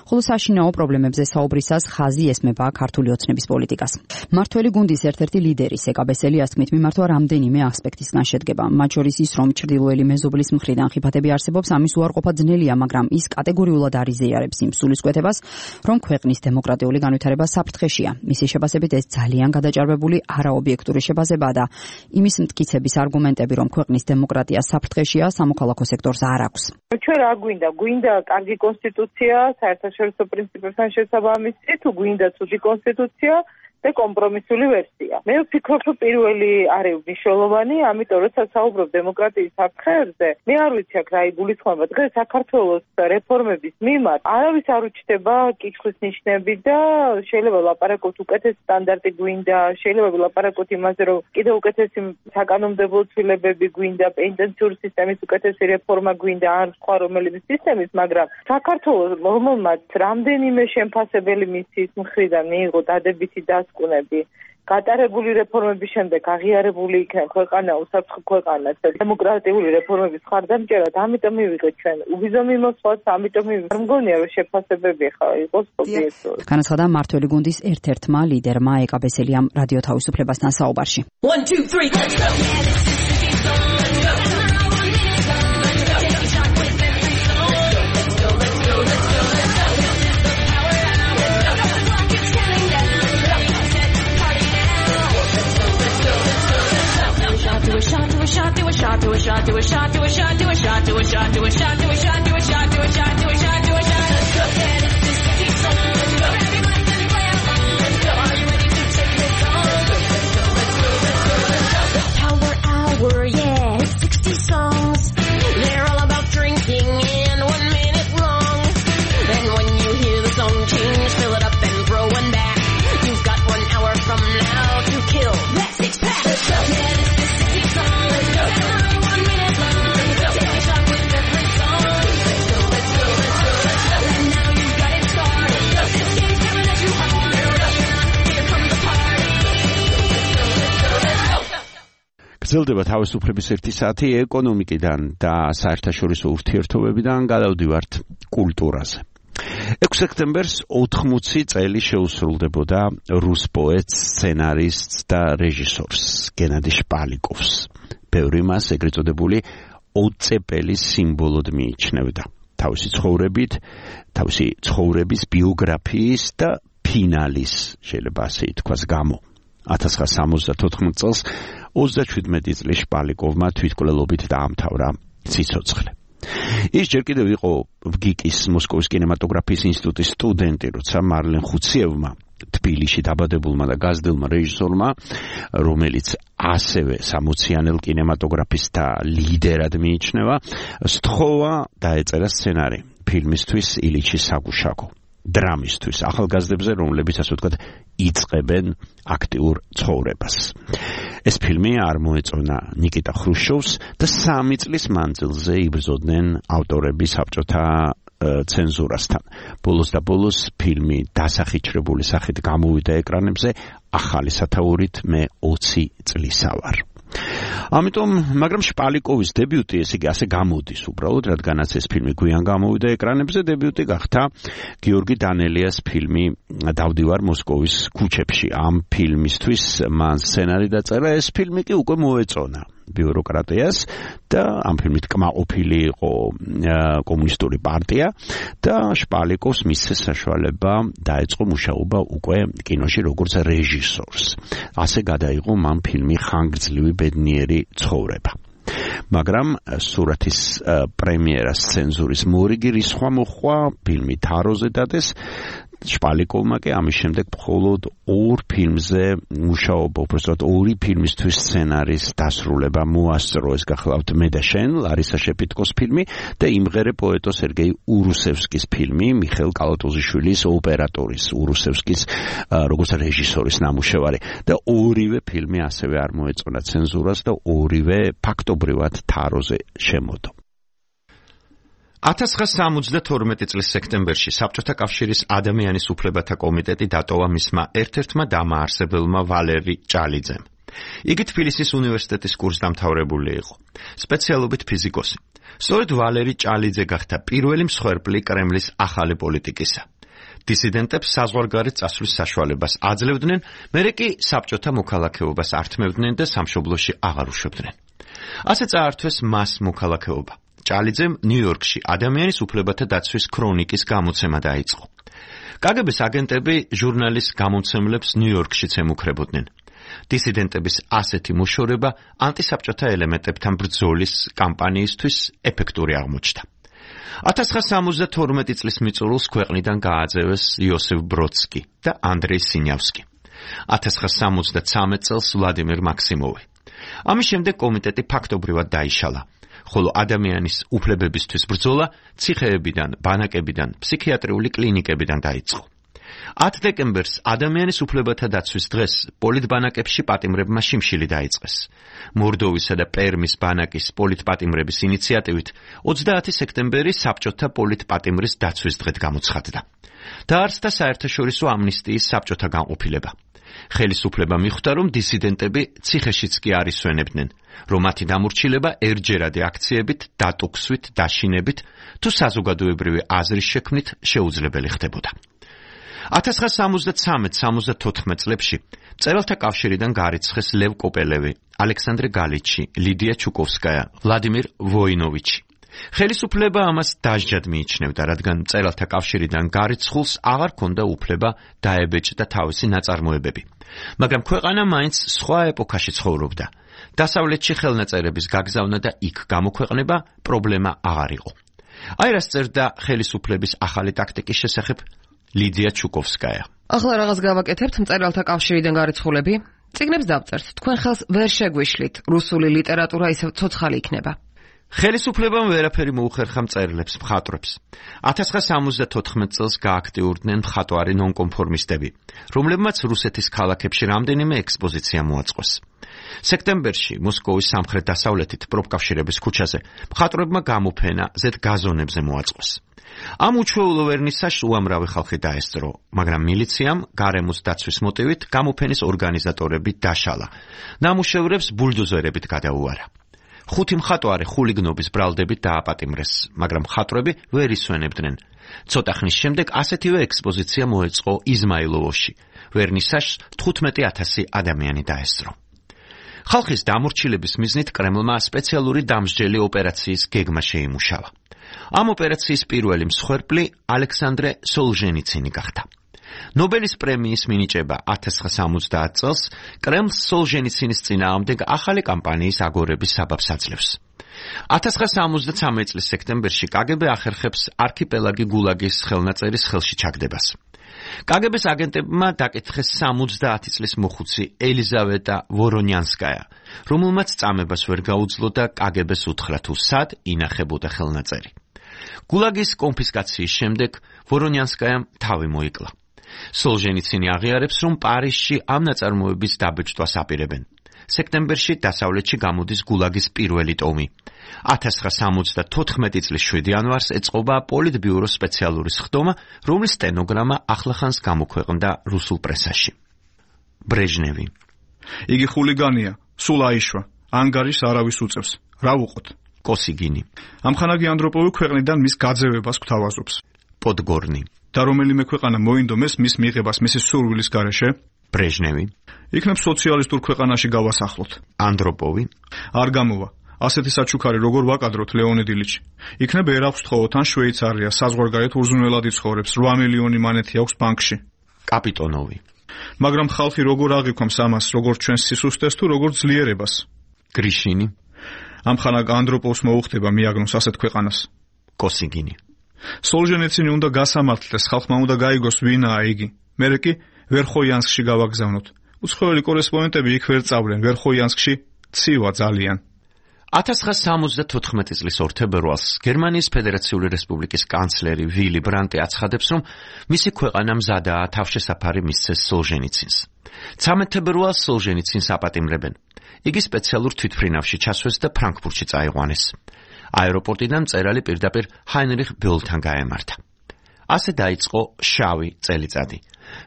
ხოლო საშინაო პრობლემებზე საუბრისას ხაზი ესმება ქართული ოცნების პოლიტიკას. მმართველი გუნდის ერთ-ერთი ლიდერი სეკაბესელიას თქმით, მიმართვა რამდენიმე ასპექტისგან შედგება. მათ შორის ის, რომ ჩრდილოელი მეზობლის მხრიდან ხიფათები არსებობს, ამის უარყოფა ძნელია, მაგრამ ის კატეგორიულად არ იზიარებს იმ სულისკვეთებას, რომ ქვეყნის დემოკრატიული განვითარება საფრთხეშია. მისი შეფასებით ეს ძალიან გადაჭარბებული არაობიექტური შეფასებაა და იმის მტკიცების არგუმენტები, რომ ქვეყნის დემოკრატია საფრთხეშია, სამოქალაქო სექტორს არ აქვს. ჩვენ რა გვინდა კარგი კონსტიტუცია, საერთაშორისო პრინციპებთან შესაბამისი, თუ გვინდა ცუდი კონსტიტუცია და კომპრომისული ვერსია. მე ვფიქრობ, რომ პირველი არის მნიშვნელოვანი, ამიტომ როცა საუბრობ დემოკრატიის საფრთხეებზე, მე არ ვიცი აქ რა იგულისხმება. დღეს საქართველოს რეფორმების მიმართ არავის არ უჩნდება კითხვის ნიშნები და შეიძლება ლაპარაკოთ უკეთეს სტანდარტი გვინდა, შეიძლება ლაპარაკოთ იმაზე, რომ კიდევ უკეთესი საკანონმდებლო ცვლილებები გვინდა, პენიტენციური სისტემის უკეთესი რეფორმა გვინდა, ან სხვა რომელიმე სისტემის, მაგრამ საქართველოს რომელმაც რამდენიმე შემფასებელი მისიის მხრიდან მიიღო დადებითი დასკვნები, გატარებული რეფორმების შემდეგ აღიარებული იქნება ქვეყანა უსაფრთხო ქვეყანად და დემოკრატიული რეფორმების ხარდამჭერად, ამიტომ მივიღეთ ჩვენ უვიზო მიმოსვლას, ამიტომ არ მგონია რომ შეფასებები ხა იყოს ობიექტური. განაცხადა მმართველი გუნდის ერთ-ერთმა ლიდერმა ეკაბესელიამ რადიო თავისუფლებასთან საუბარში. 1 2 3 let's go. Power hour, yeah, 60 songs. They're all about drinking and 1 minute long. Then when you hear the song change, fill it up and throw one back. You've got 1 hour from now to kill that 6-pack. Yeah, this is 60 songs. Every 1 minute long. Take a shot with every song. Let's go, let's go, let's go, let's go. And now you've got it started. This game's coming at you hard. Here comes the party. Let's go, let's go, let's go. გრძელდება თავისუფლების 1 საათი ეკონომიკიდან და საერთაშორისო ურთიერთობებიდან გადავდივართ კულტურაზე. 6 სექტემბერს 80 წელი შეუსრულდებოდა რუს პოეტს, სცენარისტს და რეჟისორს გენადი შპალიკოვს. ბევრი მას ეგრეთ წოდებული ოწეპელის სიმბოლოდ მიიჩნევდა. თავისი ცხოვრების ბიოგრაფიის და ფინალის, შეიძლება ასე ითქვას, გამო. 1974 წელს 37 წლის შპალიკოვმა თვითმკვლელობით დაამთავრა ციცოცხლე. ის ჯერ კიდევ იყო ვგიკის მოსკოვის კინემატოგრაფიის ინსტიტუტის სტუდენტი, როცა მარლენ ხუციევმა, თბილისში დაბადებულმა და გაზრდილმა რეჟისორმა, რომელიც ასევე 60-იანელ კინემატოგრაფისტთა ლიდერად მიიჩნევა, სთხოვა დაეწერა სცენარი ფილმისთვის ილიჩის საგუშაგო. დრამისთვის, ახალგაზრდებზე, რომლებიც ასე ვთქვათ, იწყებენ აქტიურ ცხოვრებას. ეს ფილმი არ მოეწონა ნიკიტა ხრუშჩოვს და 3 წლის მანძილზე იბრძოდნენ ავტორები საბჭოთა ცენზურასთან. ბოლოს და ბოლოს ფილმი დასახიჩრებული სახით გამოვიდა ეკრანებზე ახალი სათაურით მე 20 წლისა ვარ. ამიტომ, მაგრამ შპალიკოვის დებიუტი, ესე იგი, ასე გამოდის უბრალოდ, რადგანაც ეს ფილმი გვიან გამოვიდა ეკრანებზე, დებიუტი გახდა გიორგი დანელიას ფილმი დავდივარ მოსკოვის ქუჩებში. ამ ფილმისთვის მან სცენარი დაწერა, ეს ფილმი კი უკვე მოეწონა ბიუროკრატიას და ამ ფილმით კმაყოფილი იყო კომუნისტური პარტია და შპალიკოვს მისცეს საშუალება დაეწყო მუშაობა უკვე კინოში როგორც რეჟისორს. ასე გადაიღო მან ფილმი ხანგრძლივი ბედნიერი ცხოვრება. მაგრამ სურათის პრემიერას ცენზურის მორიგი რისხვა მოხდა, ფილმი თაროზე დადეს. შპალიკოვმა კი ამის შემდეგ მხოლოდ 2 ფილმზე მუშაობა, უბრალოდ 2 ფილმისთვის სცენარის დასრულება მოასწრო. ეს გახლავთ მე და შენ, ლარისა შეპიტკოს ფილმი და იმღერე პოეტო სერგეი ურუსევსკის ფილმი, მიხეილ კალატოზიშვილის ოპერატორის ურუსევსკის როგორც რეჟისორის ნამუშევარი და 2-ვე ფილმი ასევე არ მოეწონა ცენზურას და 2-ვე ფაქტობრივად თაროზე შემოდო. 1972 წლის სექტემბერში საბჭოთა კავშირის ადამიანის უფლებათა კომიტეტი დატოვა მისმა ერთ-ერთმა დამაარსებელმა ვალერი ჭალიძემ. იგი თბილისის უნივერსიტეტის კურსდამთავრებული იყო, სპეციალობით ფიზიკოსი. სწორედ ვალერი ჭალიძე გახდა პირველი მსხვერპლი კრემლის ახალი პოლიტიკისა. დისიდენტებს საზღვარგარეთ წასვლის საშუალებას აძლევდნენ, მერე კი საბჭოთა მოქალაქეობას ართმევდნენ და სამშობლოში აღარ უშვებდნენ. ასე წაართვეს მას მოქალაქეობა. ჭალიძემ ნიუ-იორკში ადამიანის უფლებათა დაცვის ქრონიკის გამოცემა დაიწყო. კგბ-ს აგენტები ჟურნალის გამომცემლებს ნიუ-იორკშიც ემუქრებოდნენ. დისიდენტების ასეთი მოშორება ანტისაბჭოთა ელემენტებთან ბრძოლის კამპანიისთვის ეფექტური აღმოჩნდა. 1972 წლის მიწურულს ქვეყნიდან გააძევეს იოსებ ბროდსკი და ანდრეი სინიავსკი. 1973 წელს ვლადიმერ მაქსიმოვი. ამის შემდეგ კომიტეტი ფაქტობრივად დაიშალა. ხოლო ადამიანის უფლებებისთვის ბრძოლა ციხეებიდან, ბანაკებიდან, ფსიქიატრიული კლინიკებიდან დაიწყო. 10 დეკემბერს ადამიანის უფლებათა დაცვის დღეს პოლიტბანაკებში პატიმრებმა შიმშილი დაიწყეს. მორდოვისა და პერმის ბანაკის პოლიტპატიმრების ინიციატივით 30 სექტემბერი საბჭოთა პოლიტპატიმრის დაცვის დღედ გამოცხადდა. დაარსდა საერთაშორისო ამნისტიის საბჭოთა განყოფილება. ხელისუფლება მიხვდა, რომ დისიდენტები ციხეშიც კი არ ისვენებდნენ, რომ მათი დამორჩილება ერჯერადი აქციებით, დატოქსვით, დაშინებით თუ საზოგადოებრივი აზრის შექმნით შეუძლებელი ხდებოდა. 1973-74 წლებში მწერალთა კავშირიდან გარიცხეს ლევ კოპელევი, ალექსანდრე გალიჩი, ლიდია ჩუკოვსკაია, ვლადიმირ ვოინოვიჩი. ხელისუფლება ამას დასჯად მიიჩნევდა, რადგან მწერალთა კავშირიდან გარიცხულს აღარ ჰქონდა უფლება დაებეჭდა თავისი ნაწარმოებები. მაგრამ ქვეყანა მაინც სხვა ეპოქაში ცხოვრობდა. დასავლეთში ხელნაწერების გაგზავნა და იქ გამოქვეყნება პრობლემა აღარ იყო. აი რას წერდა ხელისუფლების ახალი ტაქტიკის შესახებ ლიდია ჩუკოვსკაია. ახლა რაღაც გავაკეთებთ მწერალთა კავშირიდან გარიცხულები? წიგნებს დავწერთ, თქვენ ხელს ვერ შეგვიშლით, რუსული ლიტერატურა ისევ ცოცხალი იქნება. ხელისუფლებამ ვერაფერი მოუხერხა მწერლებს, მხატვრებს. 1974 წელს გააქტიურდნენ მხატვარი ნონკონფორმისტები, რომლებმაც რუსეთის ქალაქებში რამდენიმე ექსპოზიცია მოაწყვეს. სექტემბერში მოსკოვის სამხრეთ-დასავლეთით პროფკავშირების ქუჩაზე მხატვრებმა გამოფენა ზედ გაზონებზე მოაწყვეს. ამ უჩვეულო ვერნისაჟს უამრავი ხალხი დაესწრო, მაგრამ მილიციამ გარემოს დაცვის მოტივით გამოფენის ორგანიზატორები დაშალა. ნამუშევრებს ბულდოზერებით გადაუარა. 5 მხატვარი ხულიგნობის ბრალდებით დააპატიმრეს, მაგრამ მხატვრები ვერ ისვენებდნენ. ცოტა ხნის შემდეგ ასეთივე ექსპოზიცია მოეწყო იზმაილოვოში. ვერნისაჟს 15,000 ადამიანი დაესწრო. ხალხის დამორჩილების მიზნით კრემლმა სპეციალური დამსჯელი ოპერაციის გეგმა შეიმუშავა. ამ ოპერაციის პირველი მსხვერპლი ალექსანდრე სოლჟენიცინი გახდა. ნობელის პრემიის მინიჭება 1970 წელს კრემლს სოლჟენიცინის წინააღმდეგ ახალი კამპანიის აგორების საბაბს აძლევს. 1973 წლის სექტემბერში კგბ ახერხებს არქიპელაგი გულაგის ხელნაწერის ხელში ჩაგდებას. კგბ-ს აგენტებმა დაკითხეს 70 წლის მოხუცი ელიზავეტა ვორონიანსკაია, რომელმაც წამებას ვერ გაუძლო და კგბ-ს უთხრა თუ სად ინახებოდა ხელნაწერი. გულაგის კონფისკაციის შემდეგ ვორონიანსკაიამ თავი მოიკლა. სოლჟენიცინი აღიარებს, რომ პარიზში ამ ნაწარმოების დაბეჭდვას აპირებენ. სექტემბერში დასავლეთში გამოდის გულაგის პირველი ტომი. 1974 წლის 7 იანვარს ეწყობა პოლიტბიუროს სპეციალური სხდომა, რომლის სტენოგრამა ახლახანს გამოქვეყნდა რუსულ პრესაში. ბრეჟნევი. იგი ხულიგანია, სულ აიშვა, ანგარიშს არავის უწევს. რა ვუყოთ? კოსიგინი. ამხანაგი ანდროპოვი ქვეყნიდან მის გაძევებას გვთავაზობს. პოდგორნი. და რომელიმე ქვეყანა მოინდომეს მის მიღებას მისი სურვილის გარეშე? ბრეჟნევი. იქნებ სოციალისტურ ქვეყანაში გავასახლოთ. ანდროპოვი. არ გამოვა. ასეთი საჩუქარი როგორ ვაკადროთ ლეონიდ ილიჩი. იქნებ ერაქვს თხოვოთ ან შვეიცარია, საზღვარგარეთ უზრუნველად იცხოვრებს, 8 მილიონი მანეთი აქვს ბანკში. კაპიტონოვი. მაგრამ ხალხი როგორ აღიქვამს ამას, როგორ ჩვენს სისუსტეს თუ როგორ ძლიერებას? გრიშინი. ამხანაგ ანდროპოვს მოუხდება მიაგნოს ასეთ ქვეყანას. კოსიგინი. სოლჟენიცინი უნდა გასამართლდეს, ხალხმა უნდა გაიგოს ვინაა იგი. მერე კი ვერხოიანსკში გავაგზავნოთ. უცხოელი კორესპონდენტები იქ ვერ წავლენ, ვერხოიანსკში ცივა ძალიან. 1974 წლის 2 თებერვალს გერმანიის ფედერაციული რესპუბლიკის კანცლერი ვილი ბრანტი აცხადებს, რომ მისი ქვეყანა მზადაა თავშესაფარი მისცეს სოლჟენიცინს. 13 თებერვალს სოლჟენიცინს აპატიმრებენ. იგი სპეციალურ თვითმფრინავში ჩასვეს და ფრანკფურტში წაიყვანეს. აეროპორტიდან მწერალი პირდაპირ ჰაინრიხ ბეულთან გაემართა. ასე დაიწყო შავი წელიწადი.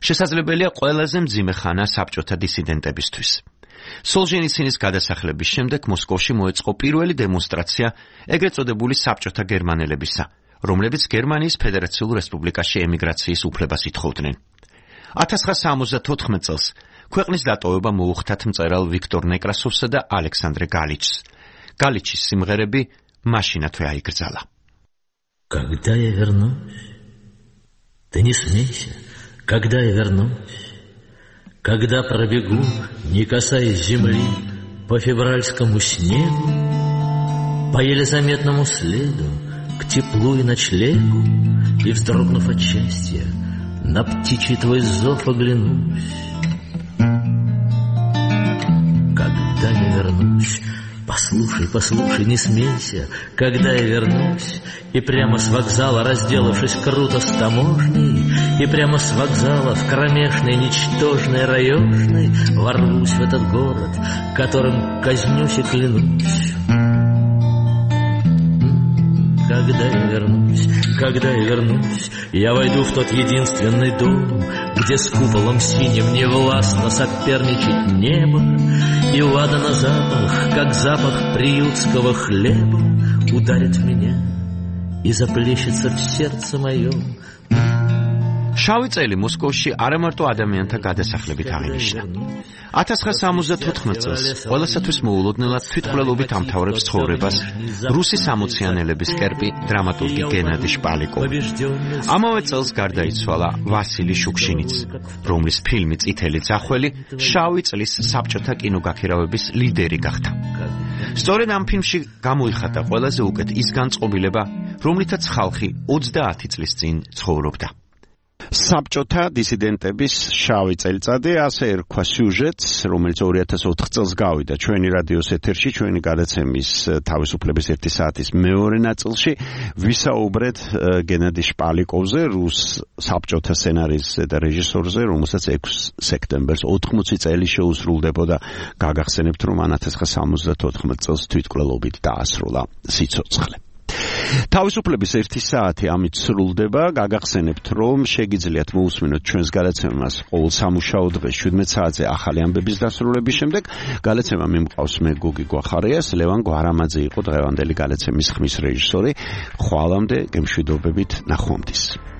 შესაძლებელია ყველაზე მძიმე ხანა საბჭოთა დისიდენტებისთვის. სოლჟენიცინის გადასახლების შემდეგ მოსკოვში მოეწყო პირველი დემონსტრაცია ეგრეთ წოდებული საბჭოთა გერმანელებისა, რომლებიც გერმანიის ფედერაციულ რესპუბლიკაში ემიგრაციის უფლებას ითხოვდნენ. 1974 წელს ქვეყნის დატოვება მოუხდათ მწერალ ვიქტორ ნეკრასოვსა და ალექსანდრე გალიჩს. გალიჩის სიმღერები მაშინათვე აიგრძალა. Когда я вернусь, ты не смейся, когда я вернусь, когда пробегу, не касаясь земли, по февральскому снегу, по еле заметному следу, к теплу и ночлегу, и, вздрогнув от счастья, на птичий твой зов оглянусь. Когда я вернусь, послушай, послушай, не смейся, когда я вернусь, и прямо с вокзала, разделавшись круто с таможней, и прямо с вокзала в кромешной, ничтожной, раёшной ворвусь в этот город, которым казнюсь и клянусь. Когда я вернусь, я войду в тот единственный дом, где с куполом синим невластно соперничать небо, и ладана запах, как запах приютского хлеба, ударит в меня и заплещется в сердце моем. შავი წელი მოსკოვში არა მარტო ადამიანთა გადასახლებით აღინიშნა. 1974 წელს ყველასათვის მოულოდნელად თვითმკვლელობით ამთავრებს ცხოვრებას რუსი სამოციანელების კერპი დრამატურგი გენადი შპალიკოვი. ამავე წელს გარდაიცვალა ვასილი შუქშინიც, რომლის ფილმი წითელი ძახველი შავი წლის საბჭოთა კინოგაქირავების ლიდერი გახდა. სწორედ ამ ფილმში გამოიხატა ყველაზე უკეთ ის განწყობილება, რომლითაც ხალხი 30 წლის წინ ცხოვრობდა. საბჭოთა დისიდენტების შავი წელიწადი, ასე ერქვა სიუჟეტს, რომელიც 2004 წელს გავიდა ჩვენი რადიოს ეთერში, ჩვენი გადაცემის თავისუფლების 1 საათის მეორე ნაწილში. ვისაუბრეთ გენადი შპალიკოვზე, რუს საბჭოთა სცენარისტზე და რეჟისორზე, რომელსაც 6 სექტემბერს 80 წელი შეუსრულდებოდა. გაგახსენებთ, რომ 1974 წელს თვითმკვლელობით დაასრულა სიცოცხლე. თავისუფლების 1 საათი ამით სრულდება. გაგახსენებთ, რომ შეგიძლიათ მოусმინოთ ჩვენს გადაცემას ყოველ სამუშაო დღეს 17 საათზე ახალი ამბების დასრულების შემდეგ. გადაცემა მიმყავს მე გოგი გვახარიას, ლევან გვარამაძე იყო დღევანდელი გადაცემის ხმის რეჟისორი. ხვალამდე გემშვიდობებით, ნახვამდის.